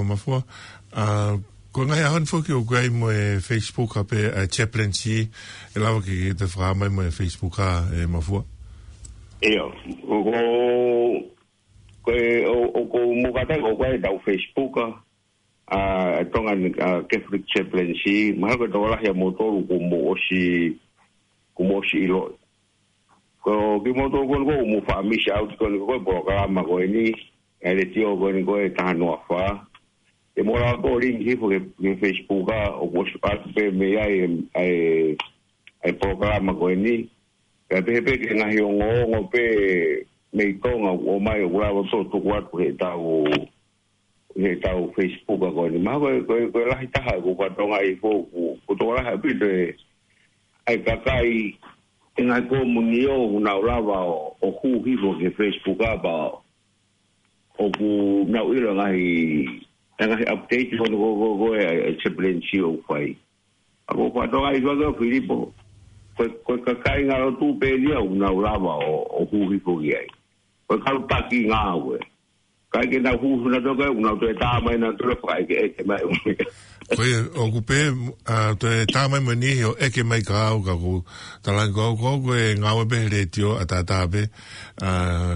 Mafua. ʻA, ko e ngaahi ʻaho ni foki ʻoku ʻi ai mo e Facebook ʻa pē, ʻa e chaplaincy, ʻe lava ke, ke te fakahā mai mo e Facebook ʻa e Mafua. ʻIo, ʻoku, ko e, ʻo, ʻoku mou kātaki ʻoku ʻi ai ʻetau Facebook ʻa, ʻa, Tongan, ʻa, Catholic Chaplaincy, mahalo ko e tokolahi ʻa moutolu kuo mou ʻosi, kuo mou ʻosi ʻiloʻi. Ko kimoutolu ko eni ʻoku mou faʻa miss out ko eni ko e polokalama ko eni, ʻa e letiō ko eni ko e taha noa fā. ʻE mou lava ʻo link hifo ki he, ki he Facebook ʻa, ʻoku ʻosi ʻoatu pē mei ai ʻa e, ʻa e, ʻa e polokalama ko eni. Pea pehē pē ki he ngaahi ongoongo pē mei Tonga ʻoku ʻomai ʻoku lava ʻo tuku atu he tau, he tau Facebook ʻa ko eni. Mahalo ko e, ko e, ko e lahi taha ʻoku fatongia hifo ʻoku, ʻoku tokolahi ʻaupito e, ʻa e kakai ʻi he ngaahi komunio ʻoku nau lava ʻo, ʻo hū hifo ki he Facebook ʻa pea ʻoku nau ʻilo ngaahi, ngaahi update ko eni ko, ko, ko e, ʻa e chaplaincy ʻoku fai. ʻA ko e fatongia hifo ʻa Filipo, ko e, ko e kakai ngaahi lotu pē eni ʻoku nau lava ʻo, ʻo hū hifo ki ai. Ko e kau taki ngāue. Ka ke nau hū hifo nautolu ka ʻoku nau toe tā mai nautolu fakaʻekeʻeke mai. Ko ia, ʻoku pē, ʻa, toe tā mai mo e niʻihi ʻo ʻeke mai kia au ka ʻoku talaange ko au, ko au ko e ngāue pē he letiō ʻataʻatā pē, ʻa,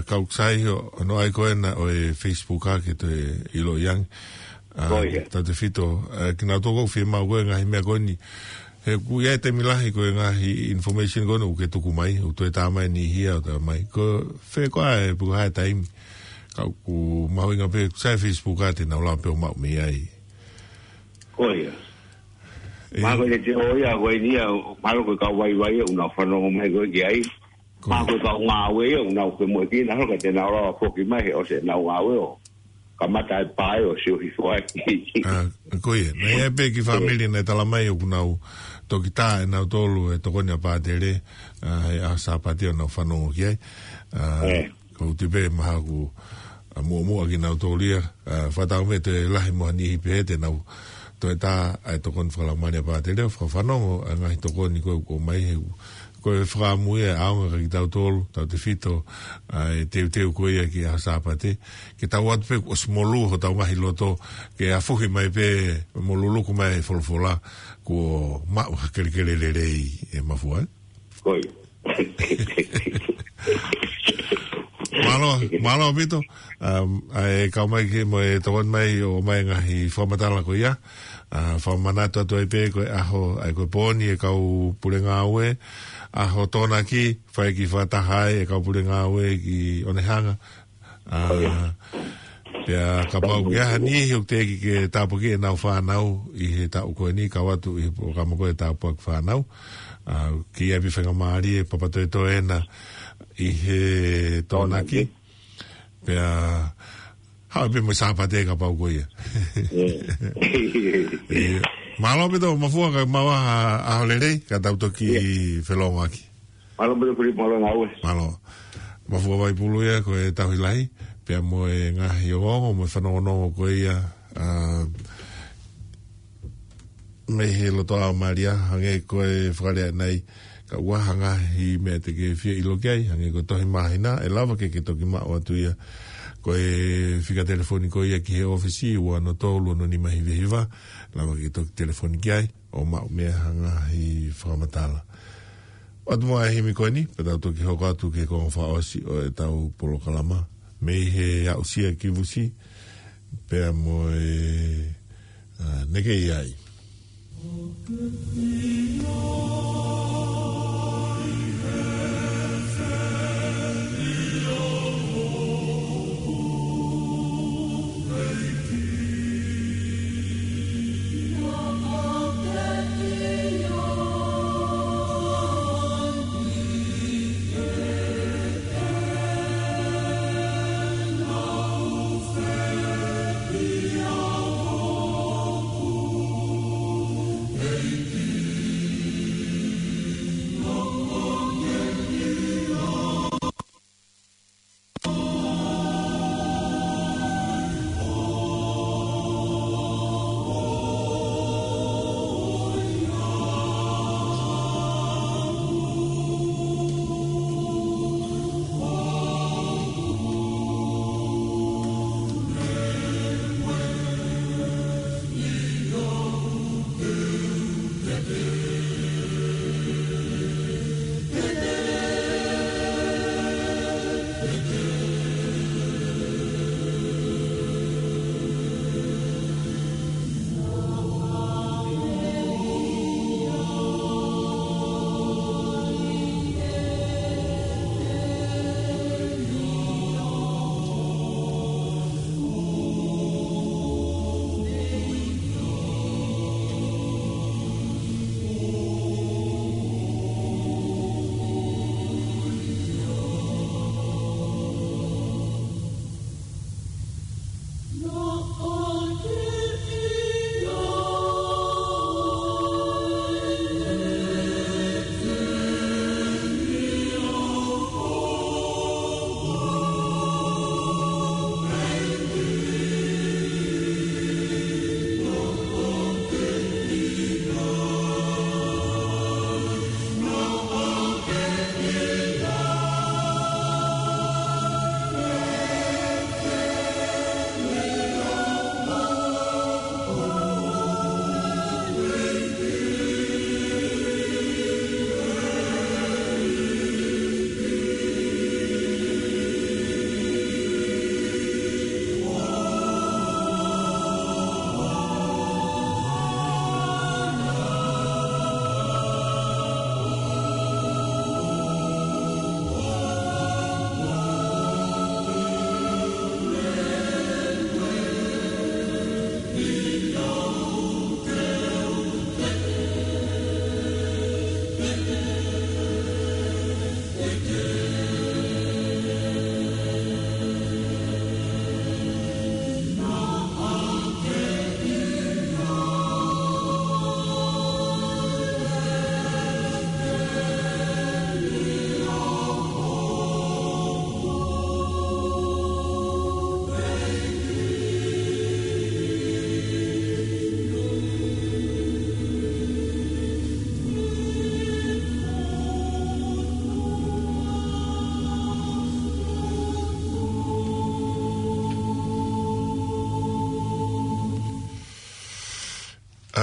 ka ʻoku sai ʻo, ʻo ʻai ko ena ʻo e Facebook ʻa ke toe ʻiloʻi ange. ʻA, Ko ia. tautefito, ʻa, kinautolu ʻoku fiemaʻu ko e ngaahi meʻa ko eni. He ʻoku ʻi ai e taimi lahi ko e ngaahi information ko ena ʻoku ke tuku mai, ʻoku toe tā mai niʻihi ʻo tā mai. Ko fē koā ʻe puha e taimi. Ka ʻoku mahuʻinga pē, sai Facebook ʻa te nau lava pē ʻo maʻu mei ai. Ko ia. ʻE. Mahalo ko e letiō ia, ko eni ia, mahalo ko e kau vaivai ʻoku nau fanongo mai ko ē ki ai. Ko Mahalo ko e kau ngāue ia, ʻoku nau ke moe ki, mahalo ka te nau lava foki mai he ʻosi ʻenau ngāue ʻo kamata e pae ʻo sio hifo ai. ʻA, ko ia. Naʻe ʻi ai pē kiʻi fāmili naʻe tala mai ʻoku nau toki tā ʻe nautolu e tokoni ʻa Pātele, ʻa, he ʻaho Sāpate ʻo nau fanongo ki ai. ʻA, ʻE. ʻoku ou tui pē mahalo ʻoku, ʻa, muʻomuʻa kinautolu ia, ʻa, fakatau mei he toe lahi mo ha niʻihi pehē te nau toe tā ʻa e tokoni fakalaumālie ʻa Pātele ʻo fakafanongo ʻa e ngaahi tokoni ko ē ʻoku ʻomai he ko e fakaʻamu ia ʻaonga kia kitautolu, tautefito, ʻa e teuteu ko ia ki he ʻaho Sāpate. Ke tau ʻoatu pē ʻosi molū hotau ngaahi loto, ke afuhi mai pē mo luluku mai e folofola, kuo maʻu ha kelekele lelei ʻe Mafua, ē? Ko ia. Mālō, mālō ʻaupito. Um, ʻa e kau mai ki mo e tokoni mai ʻo ʻomai ngaahi fakamatala ko ia. ʻA, fakamanatu atu ai pē ko e ʻaho, ʻa e ko e pōni e kau pule ngāue, ʻaho Tokonaki, fai e kiʻi fakataha ai e kau pule ngāue ki ʻOnehunga. ʻA, Ko ia. pea kapau ke ʻi ai ha niʻihi ʻoku teʻeki ke tāpuakiʻi ʻenau fānau ʻi he taʻu ko eni, kau atu ʻi he polokalama ko e tāpuaki fānau. ʻA, ke ʻi ai pē faingamālie, papatoetoe ena ʻi he Tokonaki. Tokonaki. Pea, haʻu pē mo e Sāpate kapau ko ia. ʻIo. ʻIo. Mālō ʻaupito Mafua, ka mau ʻa, ʻaho lelei, ka tau toki ʻIo. felongoaki. Mālō ʻaupito Filipo, mālō e ngāue. Mālō. Mafua Vaipulu ia, ko e tauhi lahi, pea mo e ngaahi ongoongo, mo e fanongonongo ko ia, ʻa, mei he loto ʻa Malia, hangē ko e fakalea nai, ka ʻoku ʻi ai ha ngaahi meʻa te ke fie ʻilo ki ai, hangē ko e tohi māhina, ʻe lava ke ke toki maʻu atu ia. Ko e fika telefoni ko ia ki he ʻōfisi, ua ono tolu ono nima hiva hiva, lava ke toki telefoni ki ai, ʻo maʻu mei ai ha ngaahi fakamatala. ʻOatu muʻa e himi ko eni, pea tau toki hoko atu ki he konga fakaʻosi ʻo ʻetau polokalama. Mei he aʻusia ki Vusi, pea mo e, ʻa, Neke ʻi ai.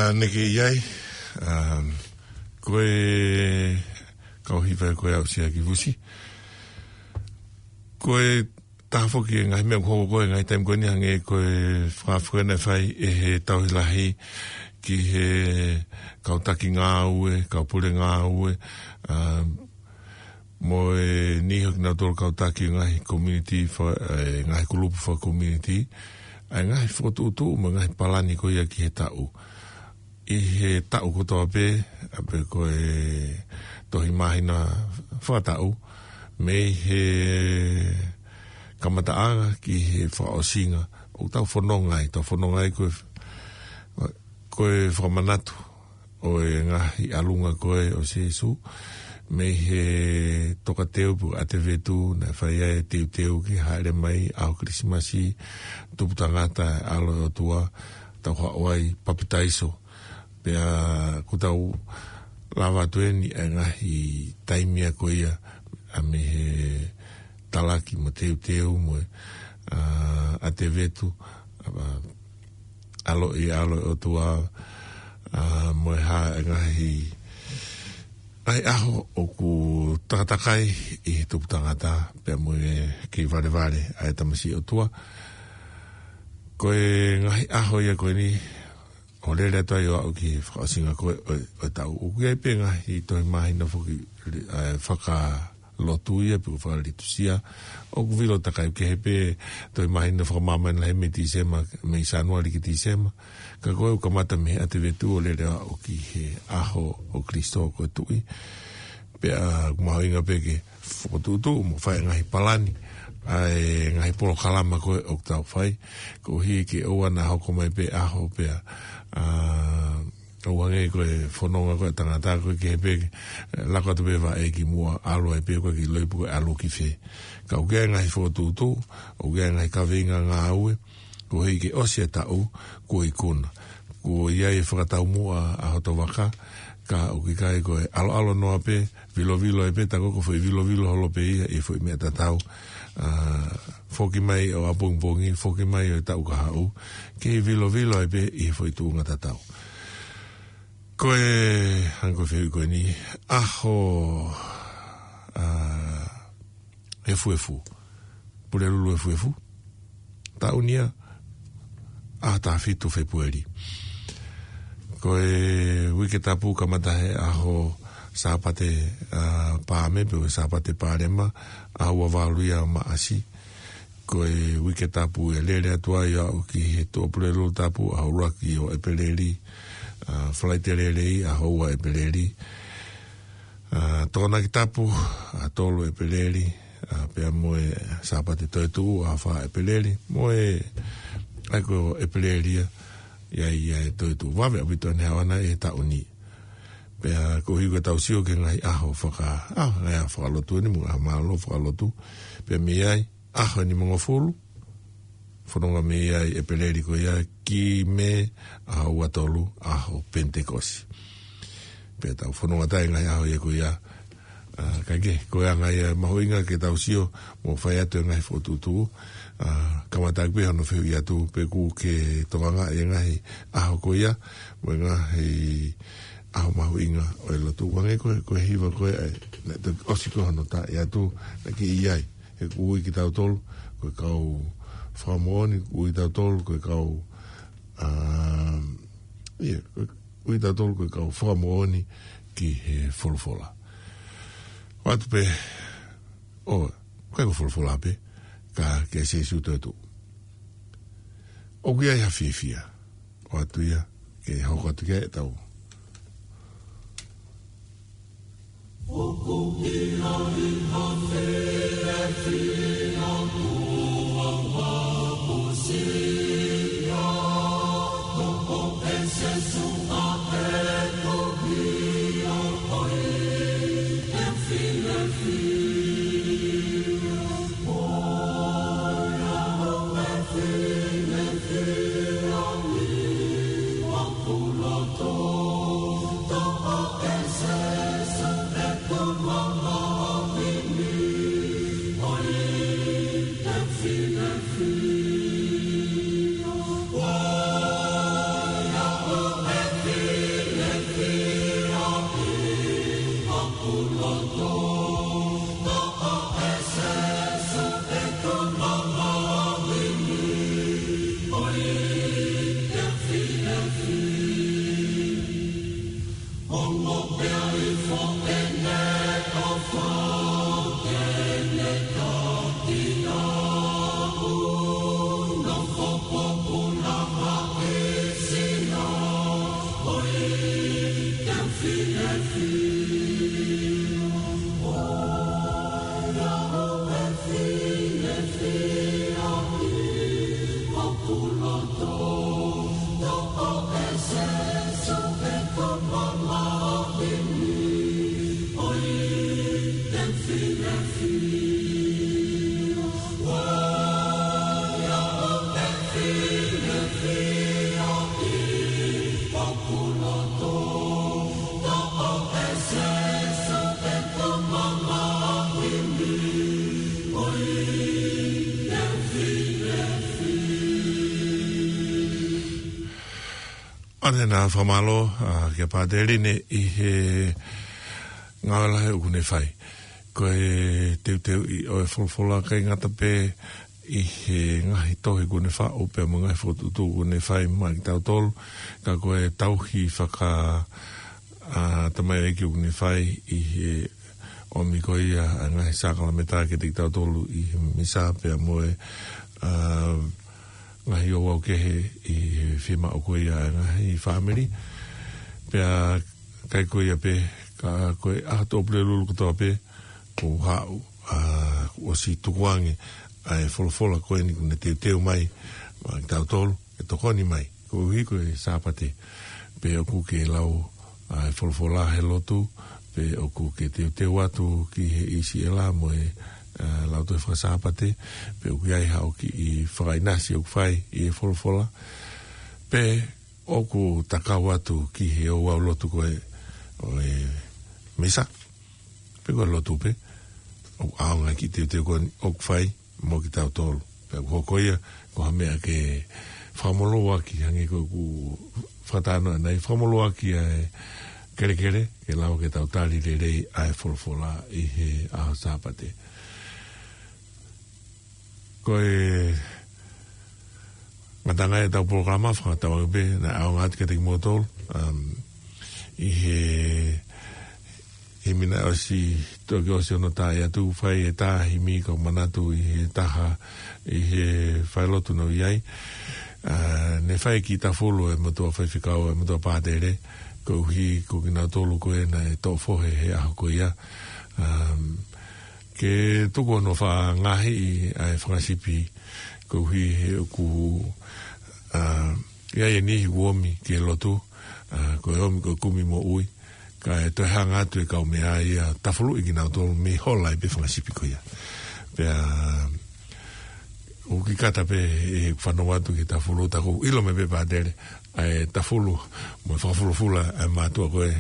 Aneke i ai, um, ko e kau hiva ko e au sia ki vusi. Ko e taha foki e ngaahi meʻa ʻoku hoko ko e ngaahi taimi ko eni hangē ko e fakafuena e fai ʻe he tauhi lahi ki he kau taki ngāue, kau pule ngāue, um, mo e niʻihi ʻo kinautolu kau taki ngaahi community, fa-, e ngaahi kulupu faka-community, ʻa e ngaahi fokotuʻutuʻu mo e ngaahi palani ko ia ki he taʻu. ʻI he taʻu kotoa pē, ʻa pē ko e tohi māhina fakataʻu, mei he kamataʻanga ki he fakaʻosinga, ʻoku tau fononga ai, tau fononga ai ko e, ko e fakamanatu ʻo e ngaahi ʻalunga ko ē ʻo Sīsū, mei he tokateu pe ko e ʻAtevetu, naʻe fai ai e teuteu ke hāʻele mai ʻaho Kilisimasi, tupu tangata e ʻAlo ʻo e ʻOtua, tau haʻu ai papitaiso. Pea ʻoku tau lava atu eni ʻa e ngaahi taimi ko ia ʻa mei he talaki mo teuteu mo e, ʻa, ʻAtevetu, ʻa, ʻaloʻi ʻAlo ʻo e ʻOtua, ʻa, mo e hā e ngaahi, ngaahi ʻaho ʻoku takatakai ʻi he tupu tangata, pea mo e kei valevale ʻa e tamasiʻi ʻOtua. Ko e ngaahi ʻaho ia ko eni, ʻo lele atu ai ʻo aʻu ki he fakaʻosinga ko ē ʻo, ʻo e taʻu. ʻOku ʻi ai pē ngaahi tohi māhina foki, ʻa, fakalotu ia pe ko e fakalitusia. ʻOku vilo takai kehe pē tohi māhina fakamāmani lahi mei Tīsema, mei Sānuali ki Tīsema. Ka ko e ʻoku kamata mei he ʻAtevetu ʻo lele ʻo aʻu ki he ʻaho ʻo Kalaisi ko e Tuʻi. Pea ʻoku mahuʻinga pē ke fokotuʻutuʻu mo fai ngaahi palani, ʻa e ngaahi polokalama ko ē ʻoku tau fai, koeʻuhi ke ʻoua naʻa hoko mai pē ʻaho pea, ʻa, ʻoua hangē ko e fononga ko ē tangata ko ē kehe pē, ʻe, laka atu pē vaʻe ki muʻa, ʻalu ai pē ko ē ki loi pe ko e ʻalu ki fē. Ka ʻoku ʻi ai ngaahi fokotuʻutuʻu, ʻoku ʻi ai ngaahi kaveinga ngāue, koeʻuhi ke ʻosi e taʻu, kuo ikuna. Kuo ʻi ai e fakataumuʻa ʻa hoto vaka, ka ʻoku ʻikai ko e ʻaloʻalo noa pē, vilovilo ai pē, tā ko e foʻi vilovilo holo pē ia ʻi he foʻi meʻa tatau. ʻA, foki mai ʻo ʻapongipongi, foki mai ʻo e taʻu kahaʻu, kei vilovilo ai pē ʻi he foʻi tuʻunga tatau. Ko e hangē ko e fehuʻi ko eni, ʻaho, ʻa, efuefu. Pulelulu efuefu. Taʻu ni ia, ʻaho taha fitu Fēpueli. Ko e uike tapu kamata he ʻaho Sāpate, ʻa, Paame, pe ko e Sāpate Palema, ʻaho ua valu ia Maʻasi. Ko e uike tapu ʻe lele atu ai ʻo aʻu ki he Tuʻapulelulu tapu, ʻaho ʻuluaki ʻo ʻEpeleli, ʻa, Falaite Lelei, ʻaho ua ʻEpeleli. ʻA, Tokonaki Tapu, ʻaho tolu ʻEpeleli, ʻa, pea mo e Sāpate Toetuʻu, ʻaho fā ʻEpeleli, mo e, ʻa ia ko ʻEpeleli ia, ʻi ai ia e toetuʻu. Vave ʻaupito ʻene haʻu ʻana ʻi he taʻu ni. Pea koeʻuhi ko ʻetau sio ki he ngaahi ʻaho faka-, ʻa, ngaahi ʻaho fakalotu eni, mo e ʻaho mālōlō fakalotu. Pea mei ai, ʻaho nimangofulu, fononga mei ai ʻEpeleli ko ia ki Mē, ʻaho ua tolu, ʻaho Penitekosi. Pea tau fononga atu ai ngaahi ʻaho ia ko ia, ʻa, kae kehe, ko e anga ia mahuʻinga ke tau sio, mo fai atu e ngaahi fokotuʻutuʻu, ʻa, kamata pē hono fehuʻi atu, pe ʻoku ke tokangaʻi e ngaahi ʻaho ko ia, mo e ngaahi ʻaho mahuʻinga ʻo e lotu. Hangē ko e, ko e hiva ko ē, ʻa e, naʻe toki ʻosi ko ē hono tā ʻi atu, naʻe kei ʻi ai. He ʻoku ui kitautolu ko e kau fakamoʻoni, ʻoku ui kitautolu ko e kau, ʻa, ʻio, ʻoku ui kitautolu ko e kau fakamoʻoni ki he folofola. ʻOatu pē, ʻo, ʻikai ko e folofola pē, ka kia Sīsū toetuʻu. ʻOku ʻi ai ha fiefia, ʻoatu ia, ke hoko atu ki ai ʻetau ʻAne na fakamālō, ā, kia Pātele ʻi he ngāue lahi ʻoku ne fai. Ko e teuteuʻi ʻo e folofola ʻikai ngata pē ʻi he ngaahi tohi ʻoku ne faʻu pea mo e ngaahi fokotuʻutuʻu ʻoku ne fai maʻa kitautolu, ka ko e tauhi faka, ā, tamaioʻeiki ʻoku ne fai ʻi he ʻomi ko ia ʻa e ngaahi sākalamēniti kiate kitautolu ʻi he misa pea mo e, ā, ngaahi ouau kehe ʻi he fiemaʻu ko ia ʻa e ngaahi fāmili. Pea ʻikai ko ia pē, ka ko e ʻaho Tuʻapulelulu kotoa pē, ʻoku haʻu, ā, ʻosi tukuange ʻa e folofola ko eni ʻoku ne teuteu mai maʻa kitautolu, ʻe tokoni mai, koeʻuhi ko e Sāpate. Pea ʻoku ke lau ʻa e folofola he lotu, pea ʻoku ke teuteu atu ki he ʻIsiela mo e, ā, lautohi faka-Sāpate, pea ʻoku ʻi ai haʻo kiʻi fakaʻinasi ʻoku fai ʻi he folofola, pea ʻoku takau atu ki he ouau lotu ko ē ʻo e misa, pe ko e lotu pē, ʻoku ʻaonga ki he teuteu ko eni ʻoku fai mo kitautolu. Pea ʻoku hoko ia ko ha meʻa ke fakamolū ʻaki, hangē ko ʻeku fakatalanoa ʻanenai, fakamolū ʻaki ʻa e kelekele, ke lava ke tau tali lelei ʻa e folofola ʻi he ʻaho Sāpate. Ko e ngataʻanga ʻetau polokalama, fakatauange pē naʻe ʻaonga atu kiate kimoutolu, um, ʻi he himi naʻe ʻosi, toki ʻosi hono tā atu, fai e tā himi, ka u manatu ʻi he taha ʻi he falelotu naʻa ku ʻi ai, ā, ne fai e kiʻi tafulu ʻa e motuʻa faifekau, ʻa e motuʻa pātele, koeʻuhi ko kinautolu ko ē naʻe toʻo fohe he ʻaho ko ia. Um, ke tuku hono fakangaahi ʻa e fanga sipi, koeʻuhi he ʻoku, ā, ʻi ai e niʻihi ʻoku ʻomi ki he lotu, ā, ko e ʻomi ko e kumi moʻui, kae toe hanga atu e kaumeʻa ia ʻo tafuluʻi kinautolu mei he hola ai pē fanga sipi ko ia. Pea ʻoku ʻikai ke tau pehē ʻe fanongo atu ki he tafulu, tā ʻoku ou ʻilo mai pē pātele, ʻa e tafulu mo e fakafulufula ʻa e mātuʻa ko ē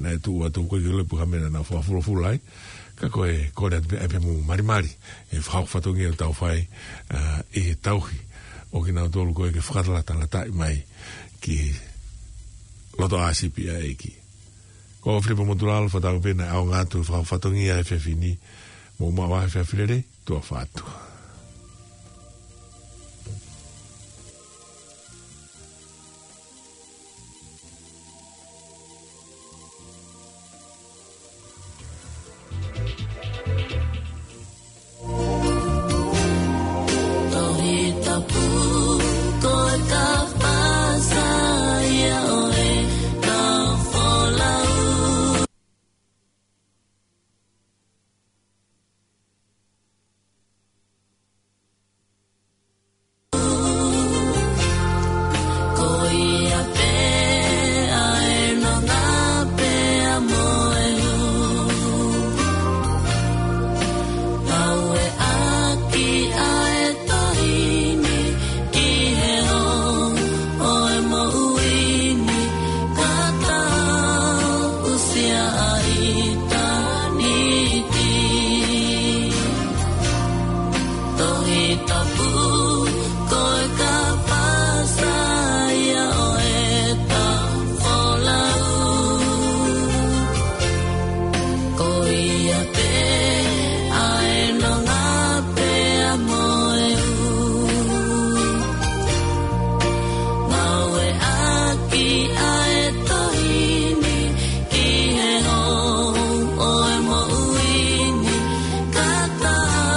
naʻe tuʻu atu, ʻoku ʻikai ke u ʻilo pe ko e hā e meʻa naʻa nau fakafulufula ai, ka ko e kole atu pē ʻa e pē mo malimali e fakahoko fatongia ʻoku tau fai, ā, ʻi he tauhi ʻo kinautolu ko ē ke fakatalatalaʻi mai ki loto ʻa sipi ʻa e ʻEiki. Ko Filipo Motulalo, fakatauange pē naʻe ʻaonga atu e fakahoko fatongia he efiafi ni, mou maʻu ā ha efiafi lelei, tuʻa ʻofa atu.